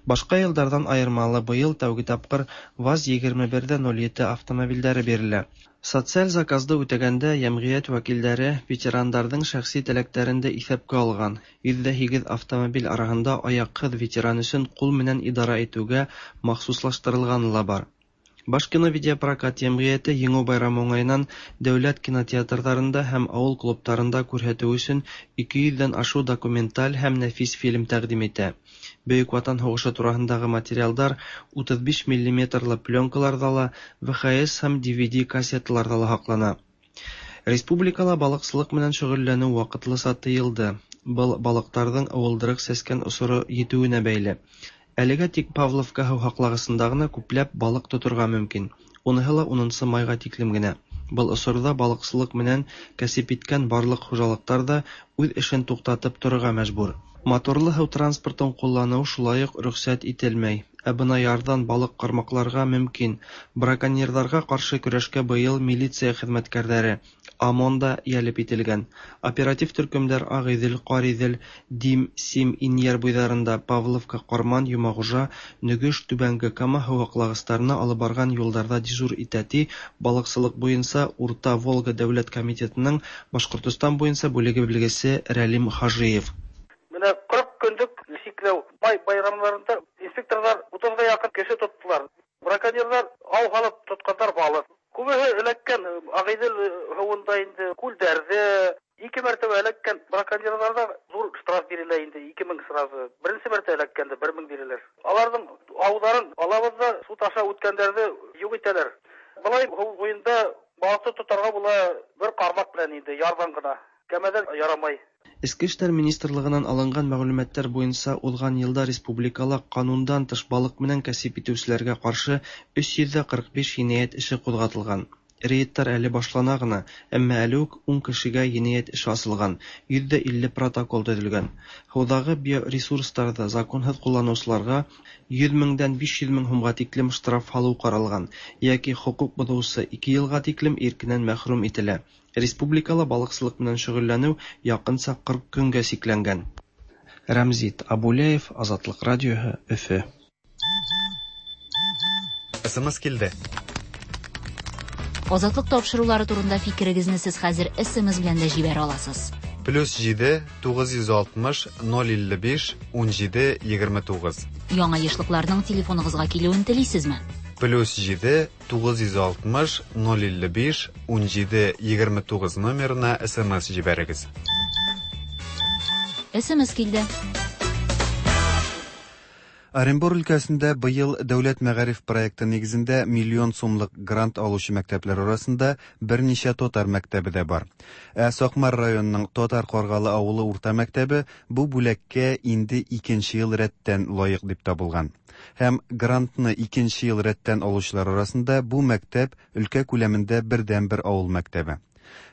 Башҡа йылдарҙан айырмалы быйыл тәүге тапҡыр ВАЗ егерме бер ҙә ноль ете автомобилдәре бирелә. Социаль заказды үтәгәндә йәмғиәт вәкилдәре ветерандарҙың шәхси теләктәрен дә иҫәпкә алған. Йөҙ ҙә һигеҙ автомобиль араһында аяҡһыҙ ветеран өсөн ҡул менән идара итеүгә махсуслаштырылғаны ла бар. Башкино видеопрокат йәмғиәте Еңеү байрамы уңайынан дәүләт кинотеатрҙарында һәм ауыл клубтарында күрһәтеү өсөн ике йөҙҙән ашыу документаль һәм нәфис фильм тәҡдим итә. Бөйөк Ватан һуғышы тураһындағы материалдар утыҙ биш миллиметрлы пленкаларҙа ла, В Х С һәм D V D кассеталарҙа ла һаҡлана. Республикала балыҡсылыҡ менән шөғөлләнеү ваҡытлыса тыйылды. Был балыҡтарҙың ыуылдырыҡ сәскән осоро етеүенә бәйле. Әлегә тик Павловка һыу һаҡлағысында ғына күпләп балыҡ тоторға мөмкин. Уныһы ла унынсы майға тиклем генә. Был осорҙа балыҡсылыҡ менән кәсеп иткән барлыҡ хужалыҡтар ҙа үҙ эшен туҡтатып торорға мәжбүр. Моторлы һыу транспортын ҡулланыу шулай уҡ рөхсәт ителмәй. Ә бына ярҙан балыҡ ҡармаҡларға мөмкин. Браконьерҙарға ҡаршы көрәшкә быйыл милиция хеҙмәткәрҙәре ОМОН да йәлеп ителгән. Оператив төркөмдәр Ағиҙел, Ҡариҙел, Дим, Сим, Инйәр буйҙарында, Павловка, Ҡарман, Йомағужа, Нөгөш, Түбәнге Кама һыу һаҡлағыстарына алып барған юлдарҙа дежур итә, ти балыҡсылыҡ буйынса Урта Волга дәүләт комитетының Башҡортостан буйынса бүлеге белгесе Рәлим Хажиев. Менә ҡырҡ көнлөк сикләү май байрамдарында инспекторҙар утыҙға яҡын кеше тоттолар. Браконьерҙар ау һалып тотҡандар балыҡ. Күбеһе эләккән Ағиҙел һыуында инде, күлдәрҙе. Ике мәртәбә эләккән браконьерҙарҙа ҙур штраф бирелә инде, ике мең сразу. Беренсе мәртәбә эләккәндә бер мең бирелер. Аларҙың ауҙарын алабыҙ ҙа суд аша үткәндәрҙе юҡ итәләр. Былай һыу буйында балыҡты тотарға була бер ҡармаҡ менән инде, ярҙан ғына. Кәмәҙән ярамай. Эске эштәр министрлығынан алынған мәғлүмәттәр буйынса уҙған йылда республикала ҡанундан тыш балыҡ менән кәсеп итеүселәргә ҡаршы өс йөҙ ҙә ҡырҡ биш енәйәт эше ҡуҙғатылған. Рейдтар әле башлана ғына, әммә әле үк ун кешегә енәйәт эше асылған, йөҙ ҙә илле протокол төҙөлгән. Һыуҙағы биоресурстарҙы законһыҙ ҡулланыусыларға йөҙ меңдән биш йөҙ мең һумға тиклем штраф һалыу ҡаралған, йәки хоҡуҡ боҙоусы ике йылға тиклем иркенән мәхрүм ителә. Республикала балыҡсылыҡ менән шөғөлләнеү яҡынса ҡырҡ көнгә сикләнгән. Рәмзит Абулеев, Азатлыҡ радиоһы, Өфө. С М С килде. Азатлык тапшырулары турында фикерегезне сез хәзер С М С белән дә җибәрә аласыз. Плюс җиде, тугыз йөз алтмыш, ноль илле биш, ун җиде, егерме тугыз. Яңа ешлыкларның телефоныгызга килүен телисезме? Плюс җиде, тугыз йөз алтмыш, ноль илле биш, ун җиде, егерме тугыз номерына С М С җибәрегез. С М С килде. Оренбур өлкәсендә быел дәүләт мәгариф проекты нигезендә миллион сумлык грант алучы мәктәпләр арасында берничә татар мәктәбе дә бар. Ә Сакмар районының Татар Каргалы авылы урта мәктәбе бу бүләккә инде икенче ел рәттән лаек дип табылган. Һәм грантны икенче ел рәттән алучылар арасында бу мәктәп өлкә күләмендә бердәнбер авыл мәктәбе.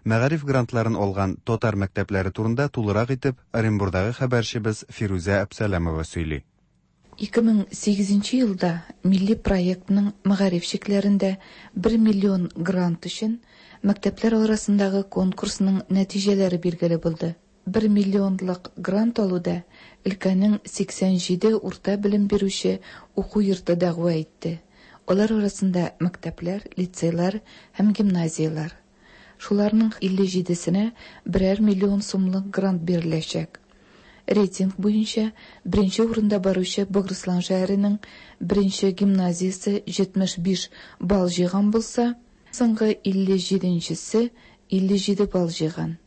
Мәгариф грантларын алган татар мәктәпләре турында тулырак итеп Оренбурдагы хәбәрчебез Фирүзә Әпсәләмова сөйли. Ике мең сигезенче елда милли проектның мәгариф чикләрендә бер миллион грант өчен мәктәпләр арасындагы конкурсның нәтиҗәләре билгеле булды. Бер миллионлык грант алуда өлкәнең сиксән җиде урта белем бирүче уку йорты дәгъва итте. Алар арасында мәктәпләр, лицейлар һәм гимназияләр. Шуларның илле җидесенә берәр миллион сумлык грант биреләчәк. Рейтинг буенча беренче урында баручы Богырыслан шәһәренең беренче гимназиясе җитмеш биш балл җыйган булса, соңгы илле җиденчесе илле җиде балл җыйган.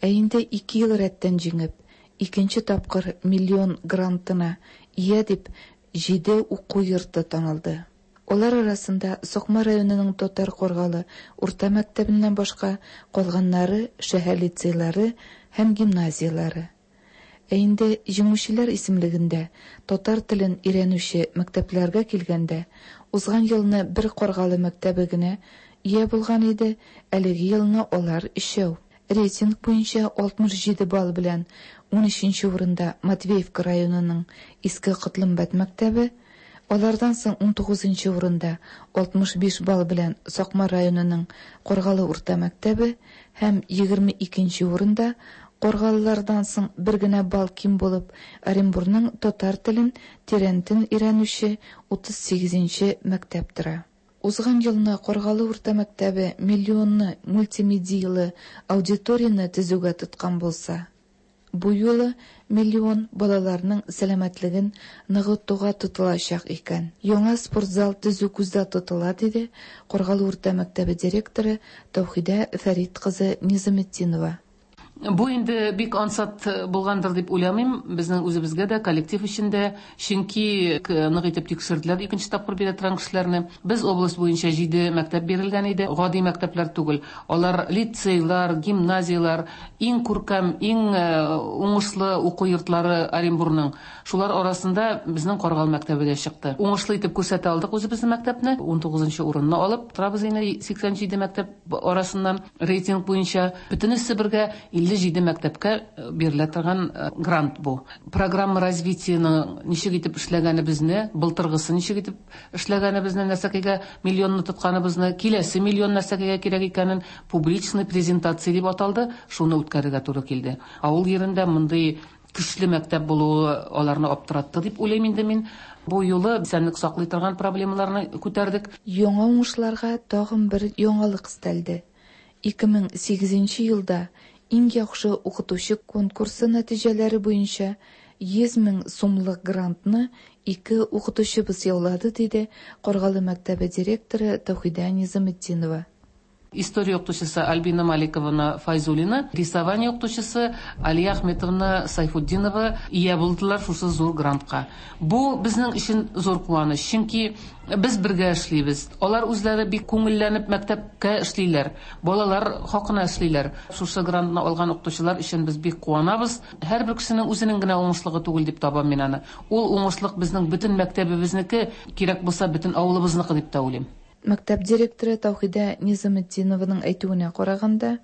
Ә инде ике ел рәттән җиңеп, икенче тапкыр миллион грантына ия дип җиде уку йорты танылды. Алар арасында Сакмар районының Татар Каргалы урта мәктәбеннән башка калганнары шәһәр лицейлары һәм гимназияләре. Ә инде җиңүчеләр исемлегендә татар телен өйрәнүче мәктәпләргә килгәндә, узган елны бер Каргалы мәктәбе генә ия булган иде, әлеге елны алар өчәү. Рейтинг буенча алтмыш җиде балл белән унөченче урында Матвеевка районының Иске Котлымбәт мәктәбе, алардан соң унтугызынчы урында алтмыш биш балл белән Сакмар районының Каргалы урта мәктәбе һәм егерме икенче урында Каргалылардан соң бер генә балл ким булып Оренбурның татар телен тирәнтен өйрәнүче утыз сигезенче мәктәп тора. Узган елны Каргалы урта мәктәбе миллионны мультимедиялы аудиторияне төзүгә тоткан булса, бу юлы миллион балаларның сәламәтлеген ныгытуга тотылачак икән. Яңа спортзал төзү күздә тотыла, диде Каргалы урта мәктәбе директоры Таухидә Фәрит кызы Низаметдинова. Бу инде бик ансат булгандыр дип уйламыйм, безнең үзебезгә дә, коллектив өчен дә, чөнки нык итеп тикшерделәр икенче тапкыр бирә торган кешеләрне. Без область буенча җиде мәктәп бирелгән иде, гади мәктәпләр түгел. Алар лицейлар, гимназиялар, иң күркәм, иң уңышлы уку йортлары Оренбурның. Шулар арасында безнең Каргалы мәктәбе дә чыкты. Уңышлы итеп күрсәтә алдык үзебезнең мәктәпне. унтугызынчы урынны алып торабыз инде сиксән җиде мәктәп арасыннан рейтинг буенча. Бөтенесе бергә илле җиде мәктәпкә бирелә торган грант бу. Программа развитиеның ничек итеп эшләгәнебезне, былтыргысы ничек итеп эшләгәнебезне, нәрсәгә миллионны тотканыбызны, киләсе миллион нәрсәгә кирәк икәнен публичный презентация дип аталды, шуны үткәрергә туры килде. Авыл ерендә мондый көчле мәктәп булуы аларны аптыратты дип уйлыйм инде мин. Бу юлы исәнлек саклый торган проблемаларны күтәрдек. Яңа уңышларга тагын бер яңалык өстәлде. ике мең сигезенче елда иң яхшы укытучы конкурсы нәтиҗәләре буенча йөз мең сумлык грантны ике укытучыбыз яулады, диде Каргалы мәктәбе директоры Таухидә Низаметдинова. История укытучысы Альбина Маликовна Файзуллина, рисование укытучысы Алия Ахметовна Сайфутдинова ия булдылар шушы зур грантка. Бу безнең өчен зур куаныч, чөнки без бергә эшлибез. Алар үзләре бик күңелләнеп мәктәпкә эшлиләр, балалар хакына эшлиләр. Шушы грантны алган укытучылар өчен без бик куанабыз. Һәрбер кешенең үзенең генә уңышлыгы түгел дип табам мин аны. Ул уңышлык безнең бөтен мәктәбебезнеке, кирәк булса бөтен авылыбызныкы дип тә уйлыйм. Мәктәп директоры Таухидә Низаметдинованың әйтүенә караганда,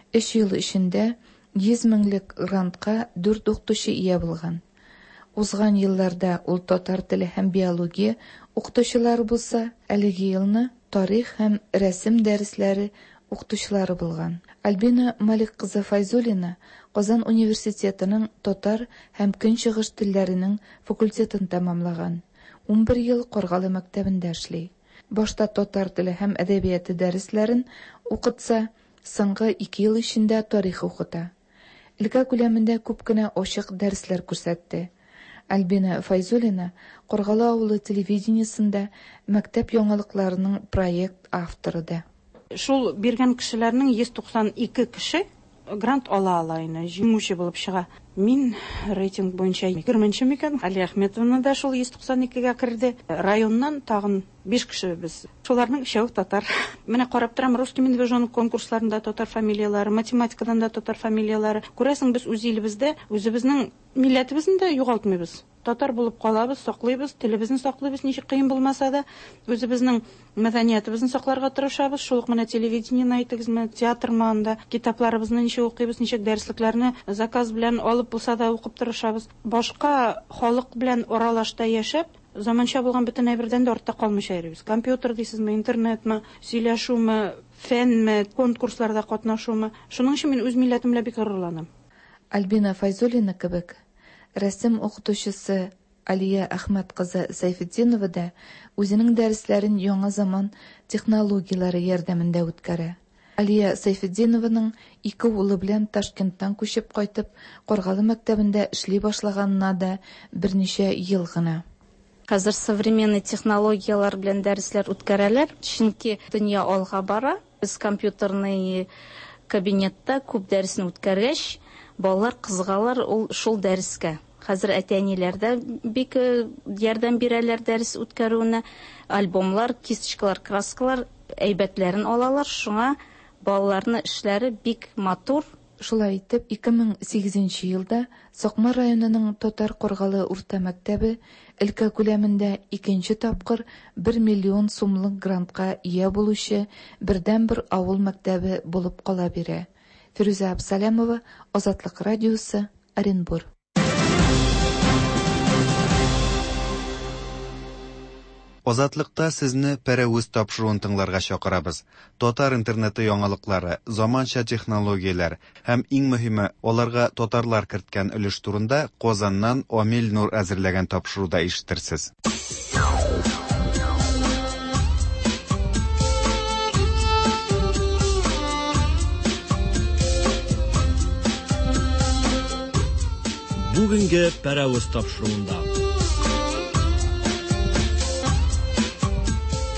өч ел эчендә йөз меңлек грантка дүрт укытучы ия булган. Узган елларда ул татар теле һәм биология укытучылары булса, әлеге елны тарих һәм рәсем дәресләре укытучылары булган. Альбина Малик кызы Файзуллина Казан университетының татар һәм көнчыгыш телләренең факультетын тәмамлаган. Унбер ел Каргалы мәктәбендә эшли. Башта татар теле һәм әдәбияты дәресләрен укытса, соңгы ике ел эчендә тарих укыта. Өлкә күләмендә күп кенә ачык дәресләр күрсәтте. Альбина Файзуллина Каргалы авылы телевидениесендә мәктәп яңалыкларының проект авторы да. Шул биргән кешеләрнең йөз туксан ике кеше грант ала ала инде, җиңүче булып чыга. Мин рейтинг буенча егерменче микән? Алия Ахметовна да шул йөз туксан икегә керде. Районнан тагын биш кеше без. Шуларның өчәү татар. Менә карап торам, русский медвежонок конкурсларында татар фамилияләре, математикадан да татар фамилияләре. Күрәсең, без үз илебездә үзебезнең милләтебезне дә югалтмыйбыз. Татар булып калабыз, саклыйбыз, телебезне саклыйбыз, ничек кыен булмаса да, үзебезнең мәдәниятебезне сакларга тырышабыз. Шул ук менә телевидениене әйтегезме, театрмы анда, китапларыбызны ничек укыйбыз, ничек дәреслекләрне заказ белән алып булса да укып тырышабыз. Башка халык белән аралашта яшәп, заманча булган бөтен әйбердән дә артта калмыйча йөрибез. Компьютер дисезме, интернетмы, сөйләшүме, фәнме, конкурсларда катнашумы. Шуның өчен мин үз милләтем белән бик горурланам. Альбина Файзуллина кебек рәсем укытучысы Алия Әхмәт кызы Сайфетдинова да үзенең дәресләрен яңа заман технологияләре ярдәмендә үткәрә. Алия Сайфетдинованың ике улы белән Ташкенттан күчеп кайтып, Каргалы мәктәбендә эшли башлаганына да берничә ел гына. Хәзер современный технологияләр белән дәресләр үткәрәләр, чөнки дөнья алга бара. Без компьютерный кабинетта күп дәресне үткәргәч, балалар кызыгалар ул шул дәрескә. Хәзер әти-әниләр дә бик ярдәм бирәләр дәрес үткәрүенә. Альбомлар, кисточкалар, краскалар әйбәтләрен алалар. Шуңа балаларның эшләре бик матур, Шулай итеп, ике мең сигезенче елда Сакмар районының Татар Каргалы урта мәктәбе өлкә күләмендә икенче тапкыр бер миллион сумлык грантка ия булучы бердәнбер авыл мәктәбе булып кала бирә. Фирүзә Абсалямова, Азатлык радиосы, Оренбур. Азатлыкта сезне Пәрәвез тапшыруын тыңларга чакырабыз. Татар интернеты яңалыклары, заманча технологияләр һәм иң мөһиме, аларга татарлар керткән өлеш турында Казаннан Амил Нур әзерләгән тапшыруда ишетерсез. Бүгенге Пәрәвез тапшыруында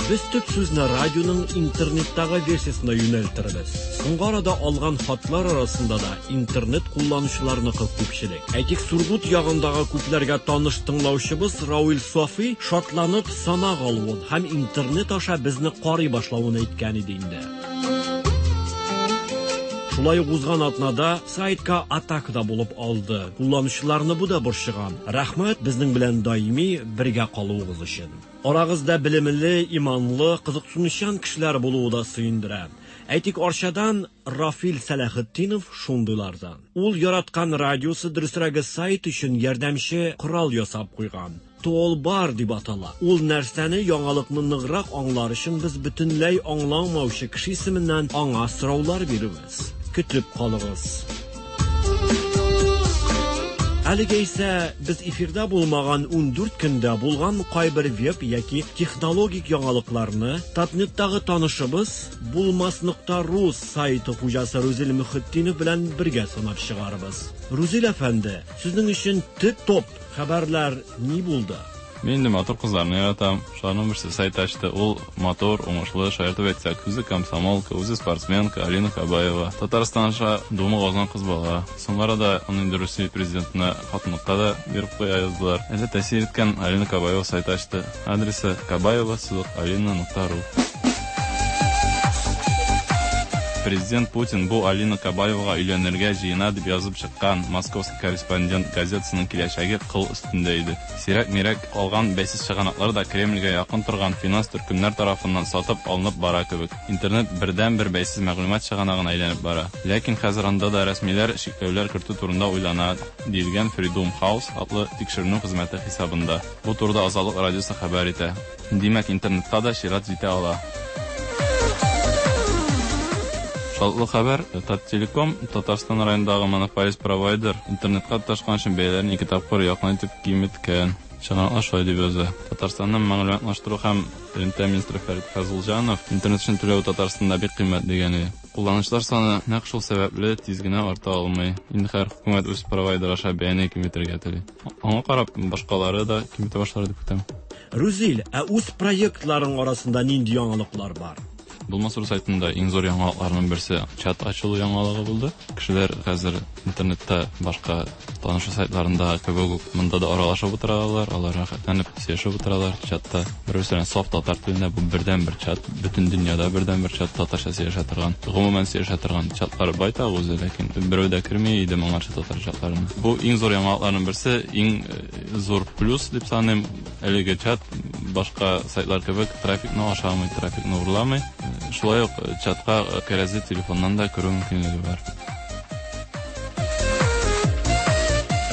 без төп сүзне радионың интернеттагы версиясына юнәлтербез. Соңгы арада алган хатлар арасында да интернет кулланучыларныкы күпчелек. Әйтик, Сургут ягындагы күпләргә таныш тыңлаучыбыз Рауил Софи шатланып санак алуын һәм интернет аша безне карый башлавын әйткән иде инде. Шулай ук узган атнада сайтка атака да булып алды. Кулланучыларны бу да борчыган. Рәхмәт безнең белән даими бергә калуыгыз өчен. Арагызда белемле, иманлы, кызыксынучан кешеләр булуы да сөендерә. Әйтик, Арчадан Рафил Сәләхетдинов шундыйлардан. Ул яраткан радиосы, дөресрәге сайт өчен ярдәмче корал ясап куйган. Толбар дип атала. Ул нәрсәне яңалыкны ныграк аңлар өчен без бөтенләй аңламаучы кеше исеменнән аңа сораулар бирәбез. Көтеп калыгыз. Әлегә исә без эфирда булмаган ундүрт көндә булган кайбер веб яки технологик яңалыкларны Татнеттагы танышыбыз булмас нокта ру сайты хуҗасы Рузил Мөхетдинов белән бергә санап чыгарбыз. Рузил әфәнде, сезнең өчен төп топ хәбәрләр ни булды? Мин инде матур кызларны яратам. Шуларның берсе сайт ачты. Ул матур, уңышлы, шаяртып әйтсәк, үзе комсомолка, үзе спортсменка Алина Кабаева. Татарстан аша Дума казанган кыз бала. Соңгы арада аны инде Русия президентына хатынлыкка да биреп куя яздылар. Әле тәэсир иткән Алина Кабаева сайт ачты. Адресы кабаева сызык алина нокта ру. Президент Путин бу Алина Кабаевага өйләнергә җыена дип язып чыккан Московский корреспондент газетасының киләчәге кыл өстендә иде. Сирәк-мирәк калган бәйсез чыганаклар да Кремльгә якын торган финанс төркемнәр тарафыннан сатып алынып бара кебек. Интернет бердән-бер бәйсез мәгълүмат чыганагына әйләнеп бара. Ләкин хәзер анда да рәсмиләр чикләүләр кертү турында уйлана, диелгән Freedom House атлы тикшеренү хезмәте хисабында. Бу турыда Азатлык радиосы хәбәр итә. Димәк, интернетка да чират җитә ала. Шатлы хәбәр, Таттелеком, Татарстан районындагы монополист провайдер, интернетка тоташкан өчен бәяләрен ике тапкыр якын итеп киметкән. Чыганаклар шулай дип яза. Татарстанның мәгълүматлаштыру һәм элемтә министры Фәрит Фазылҗанов интернет өчен түләү Татарстанда бик кыйммәт дигән иде. Кулланучылар саны нәкъ шул сәбәпле тиз генә арта алмый. Инде хәзер хөкүмәт үз провайдер аша бәяне киметергә тели. Аңа карап башкалары да киметә башлар дип көтәм. Рузил, ә үз проектларың арасында нинди яңалыклар бар? Булмас ру сайтында иң зур яңалыкларның берсе чат ачылу яңалыгы булды. Кешеләр хәзер интернетта башка танышу сайтларында кебек үк монда да аралашып утыралар, алар рәхәтләнеп сөйләшеп утыралар чатта. Бер-берсе белән саф татар телендә бу бердәнбер чат, бөтен дөньяда бердәнбер чат татарча сөйләшә торган, гомумән сөйләшә торган чатлар байтак үзе, ләкин берәү дә керми иде моңарчы татар чатларына. Бу иң зур яңалыкларның берсе, иң зур плюс дип саныйм. Әлеге чат башка сайтлар кебек трафикны ашамый, трафикны урламый. Шулай ук чатка кәрәзле телефоннан да керү мөмкинлеге бар.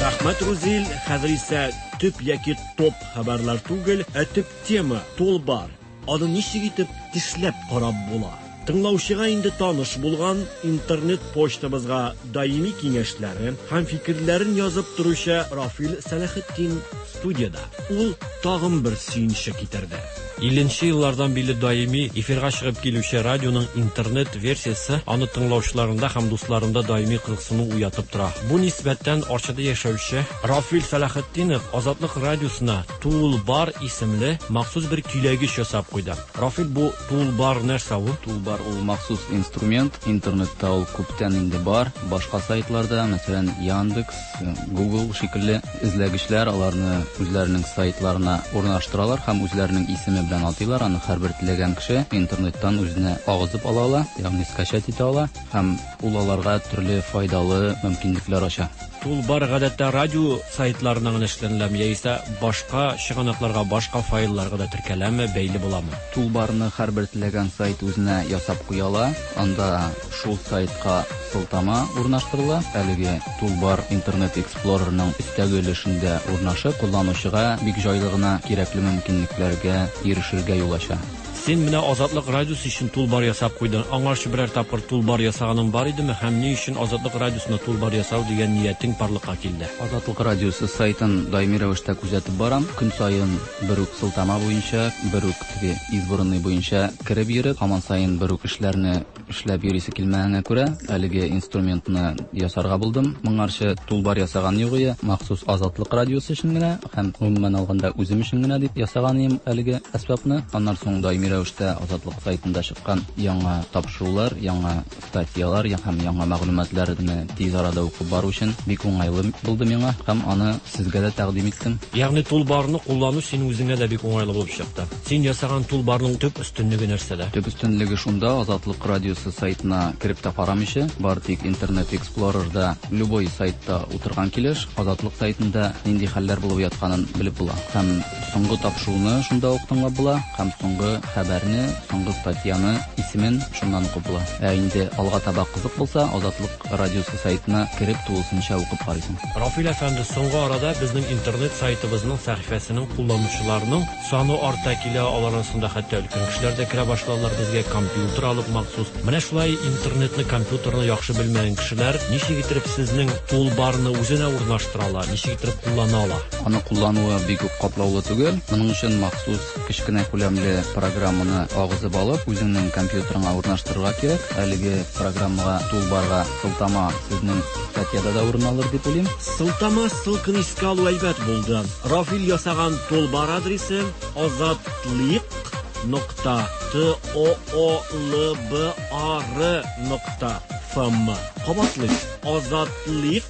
Рәхмәт, Рузил. Хәзер исә төп яки топ хәбәрләр түгел, ә төп тема толбар. Аны ничек итеп тешләп карап була? Тыңлаучыга инде таныш булган интернет почтабызга даими киңәшләрен һәм фикерләрен язып торучы Рафил Сәләхетдин студияда. Ул тагын бер сөенче китерде. Илленче еллардан бирле даими эфирга чыгып килүче радионың интернет версиясе аны тыңлаучыларында һәм дусларында даими кызыксыну уятып тора. Бу нисбәттән Арчада яшәүче Рафил Сәләхетдинов Азатлык радиосына Тулбар исемле махсус бер көйләгеч ясап куйды. Рафил, бу Тулбар нәрсә ул? Тулбар ул махсус инструмент, интернетта ул күптән инде бар. Башка сайтларда, мәсәлән, Яндекс, Google шикелле эзләгечләр аларны үзләренең сайтларына урнаштыралар һәм үзләренең исеме белән атыйлар. Аны һәрбер теләгән кеше интернеттан үзенә агызып ала ала, ягъни скачать итә ала һәм ул аларга төрле файдалы мөмкинлекләр ача. Тулбар гадәттә радио сайтларына гына эшләнеләме яисә башка чыганакларга, башка файлларга да теркәләме, бәйле буламы? Тулбарны һәрбер теләгән сайт үзенә ясап куя ала. Анда шул сайтка сылтама урнаштырыла. Әлеге тулбар Интернет Explorerның өстәге өлешендә урнашып, кулланучыга бик җайлы гына кирәкле мөмкинлекләргә ирешергә юл ача. Син менә Азатлык радиосы өчен тулбар ясап куйдың. Аңарчы берәр тапкыр тулбар ясаганың бар идеме һәм ни өчен Азатлык радиосына тулбар ясау дигән ниятең барлыкка килде? Азатлык радиосы сайтын даими рәвештә күзәтеп барам. Көн саен бер үк сылтама буенча, бер үк теге избранный буенча кереп йөреп, һаман саен бер үк эшләрне эшләп йөрисе килмәгәнгә күрә, әлеге инструментны ясарга булдым. Моңарчы тулбар ясаган юк иде, махсус Азатлык радиосы өчен генә һәм гомумән алганда үзем өчен генә дип ясаган идем әлеге әсбапны. Аннан соң даими рәвештә Азатлык сайтында чыккан яңа тапшырулар, яңа статьялар һәм яңа мәгълүматларны тиз арада укып бару өчен бик уңайлы булды миңа һәм аны сезгә дә тәкъдим иттем. Ягъни тулбарны куллану синең үзеңә дә бик уңайлы булып чыкты. Син ясаган тулбарның төп өстенлеге нәрсәдә? Төп өстенлеге шунда, Азатлык радиосы сайтына кереп тә карамыйча, бары тик Интернет Explorerда любой сайтта утырган килеш Азатлык сайтында нинди хәлләр булып ятканын белеп була. Һәм соңгы тапшыруны шунда ук тыңлап була, һәм соңгы хәбәрне, соңгы статьяны, исемен шуннан укып була. Ә инде алга таба кызык булса, Азатлык радиосы сайтына кереп тулысынча укып карыйсың. Рафил әфәнде, соңгы арада безнең интернет сайтыбызның сәхифәсенең кулланучыларының саны арта килә, алар арасында хәтта өлкән кешеләр дә керә башладылар, безгә компьютер алып махсус. Менә шулай интернетны, компьютерны яхшы белмәгән кешеләр ничек итеп сезнең тулбарны үзенә урнаштыра ала, ничек итеп куллана ала? Аны куллануы бик үк катлаулы түгел. Моның өчен махсус кечкенә күләмле программаны агызып алып, үзеңнең компьютерыңа урнаштырырга кирәк. Әлеге программага, тулбарга сылтама сезнең статьяда да урын алыр дип уйлыйм. Сылтама ссылканы искә алу әйбәт булды. Рафил ясаган тулбар адресы азатлык нокта т о о л б а р нокта ф м. Кабатлыйм: азатлык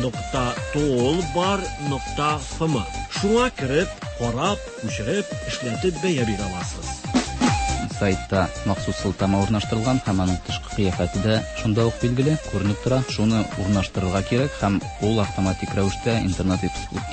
нокта тулбар нокта ф м. Шуңа кереп, карап, күчереп, эшләтеп бәя бирә аласыз. Сайтта махсус сылтама урнаштырылган һәм аның тышкы кыяфәте дә шунда ук билгеле, күренеп тора. Шуны урнаштырырга кирәк һәм ул автоматик рәвештә Интернет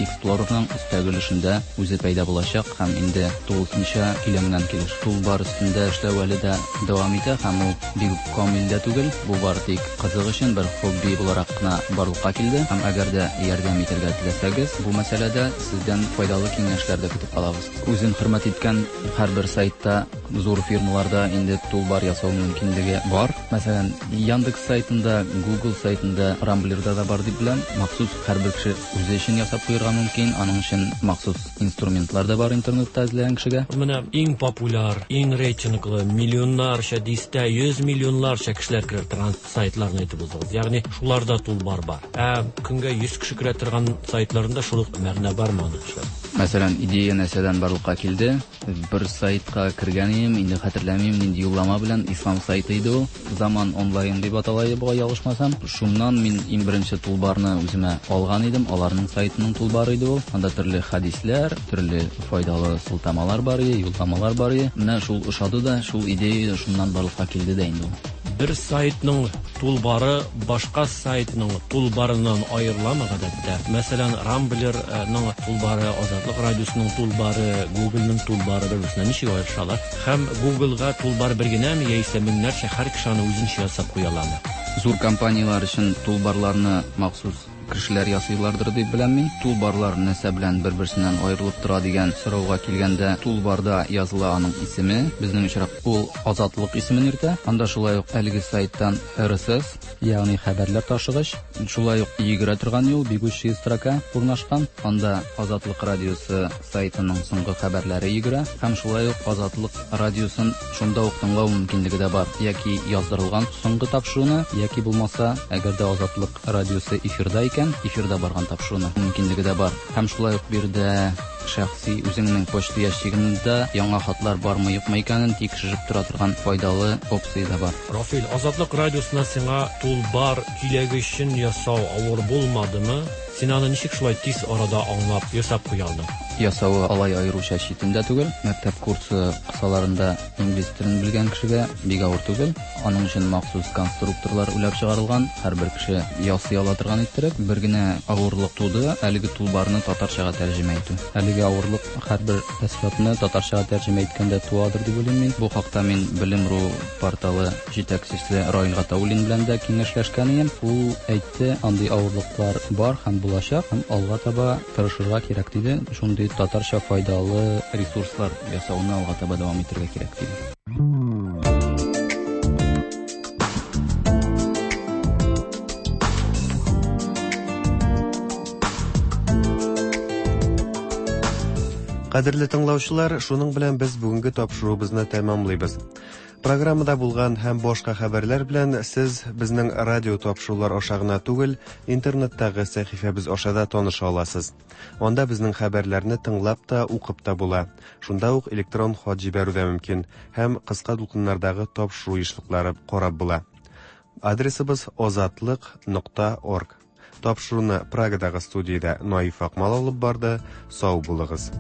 Explorerның өстәге өлешендә үзе пәйда булачак һәм инде тулысынча көйләнгән килеш. Тулбар өстендә эшләү әле дә дәвам итә һәм ул бик үк камил дә түгел. Бу бары тик кызык өчен бер хобби буларак кына барлыкка килде һәм әгәр дә ярдәм итәргә теләсәгез, бу мәсьәләдә сездән файдалы киңәшләр дә көтеп калабыз. Үзен хөрмәт иткән һәрбер сайтта зур фирмаларда инде тулбар ясау мөмкинлеге бар. Мәсәлән, Яндекс сайтында, Google сайтында, Рамблерда да бар дип беләм. Махсус һәрбер кеше үзе өчен ясап куярга мөмкин. Аның өчен махсус инструментлар да бар интернетта эзләгән кешегә. Менә иң популяр, иң рейтинглы, миллионнарча, дистә, йөз миллионнарча кешеләр керә торган сайтларны әйтеп узыгыз. Ягъни шуларда тулбар бар. Ә көнгә йөз кеше керә торган сайтларында шул ук мәгънә бармы аның? Мәсәлән, идея нәрсәдән барлыкка килде? Бер сайтка кергән идем, инде хәтерләмим, нинди юллама белән, ислам сайты иде ул. Заман онлайн дип атала иде, бугай ялгышмасам. Шуннан мин иң беренче тулбарны үземә алган идем, аларның сайтының тулбары иде ул. Анда төрле хәдисләр, төрле файдалы сылтамалар бар иде, юлламалар бар иде. Менә шул ошады да, шул идея шуннан барлыкка килде дә инде ул. Бер сайтның тулбары башка сайтның тулбарыннан аерыламы гадәттә? Мәсәлән, Рамблерның тулбары, Азатлык радиосының тулбары, Google'ның тулбары бер-берсеннән ничек аерышалар? Һәм Google'га тулбар бер генәме яисә меңнәрчә һәр кеше аны үзенчә ясап куя аламы? Зур компанияләр өчен тулбарларны махсус кешеләр ясыйлардыр дип беләм мин. Тулбарлар нәрсә белән бер-берсеннән аерылып тора дигән сорауга килгәндә, тулбарда языла аның исеме. Безнең очрак ул Азатлык исемен йөртә. Анда шулай ук әлеге сайттан эр эс эс, ягъни хәбәрләр ташыгыч, шулай ук йөгерә торган юл, бегущая строка урнашкан. Анда Азатлык радиосы сайтының соңгы хәбәрләре йөгерә һәм шулай ук Азатлык радиосын шунда ук тыңлау мөмкинлеге дә бар. Яки яздырылган соңгы тапшыруны, яки булмаса, әгәр дә Азатлык радиосы эфирда икән, эфирда барган тапшыруны мөмкинлеге дә бар. Һәм шулай ук биредә шәхси үзеңнең почта ящигында яңа хатлар бармы юкмы икәнен тикшереп тора торган файдалы опция да бар. Рафил, Азатлык радиосына сиңа тулбар киләгечен ясау авыр булмадымы? Син аны ничек шулай тиз арада аңлап, ясап куя алдың? Ясавы алай аеруча читен дә түгел. Мәктәп курсы кысаларында инглиз телен белгән кешегә бик авыр түгел. Аның өчен махсус конструкторлар уйлап чыгарылган, һәрбер кеше ясый ала торган иттереп. Бер генә авырлык туды, әлеге тулбарны татарчага тәрҗемә итү. Әлеге авырлык һәрбер әсбапны татарчага тәрҗемә иткәндә туадыр дип уйлыйм мин. Бу хакта мин Белем.ру порталы җитәкчесе Раил Гатауллин белән дә киңәшләшкән идем. Ул әйтте, андый авырлыклар бар һәм булачак, һәм алга таба тырышырга кирәк диде. Шундый татарча файдалы ресурслар ясауны алга таба дәвам итәргә кирәк диде. Кадерле тыңлаучылар, шуның белән без бүгенге тапшыруыбызны тәмамлыйбыз. Программада булган һәм башка хәбәрләр белән сез безнең радио тапшырулар аша гына түгел, интернеттагы сәхифәбез аша да таныша аласыз. Анда безнең хәбәрләрне тыңлап та, укып та була. Шунда ук электрон хат җибәрү дә мөмкин һәм кыска дулкыннардагы тапшыру ешлыклары карап була. Адресыбыз озатлык нокта орг. Тапшыруны Прагадагы студиядә Наиф Акмал алып барды. Сау булыгыз.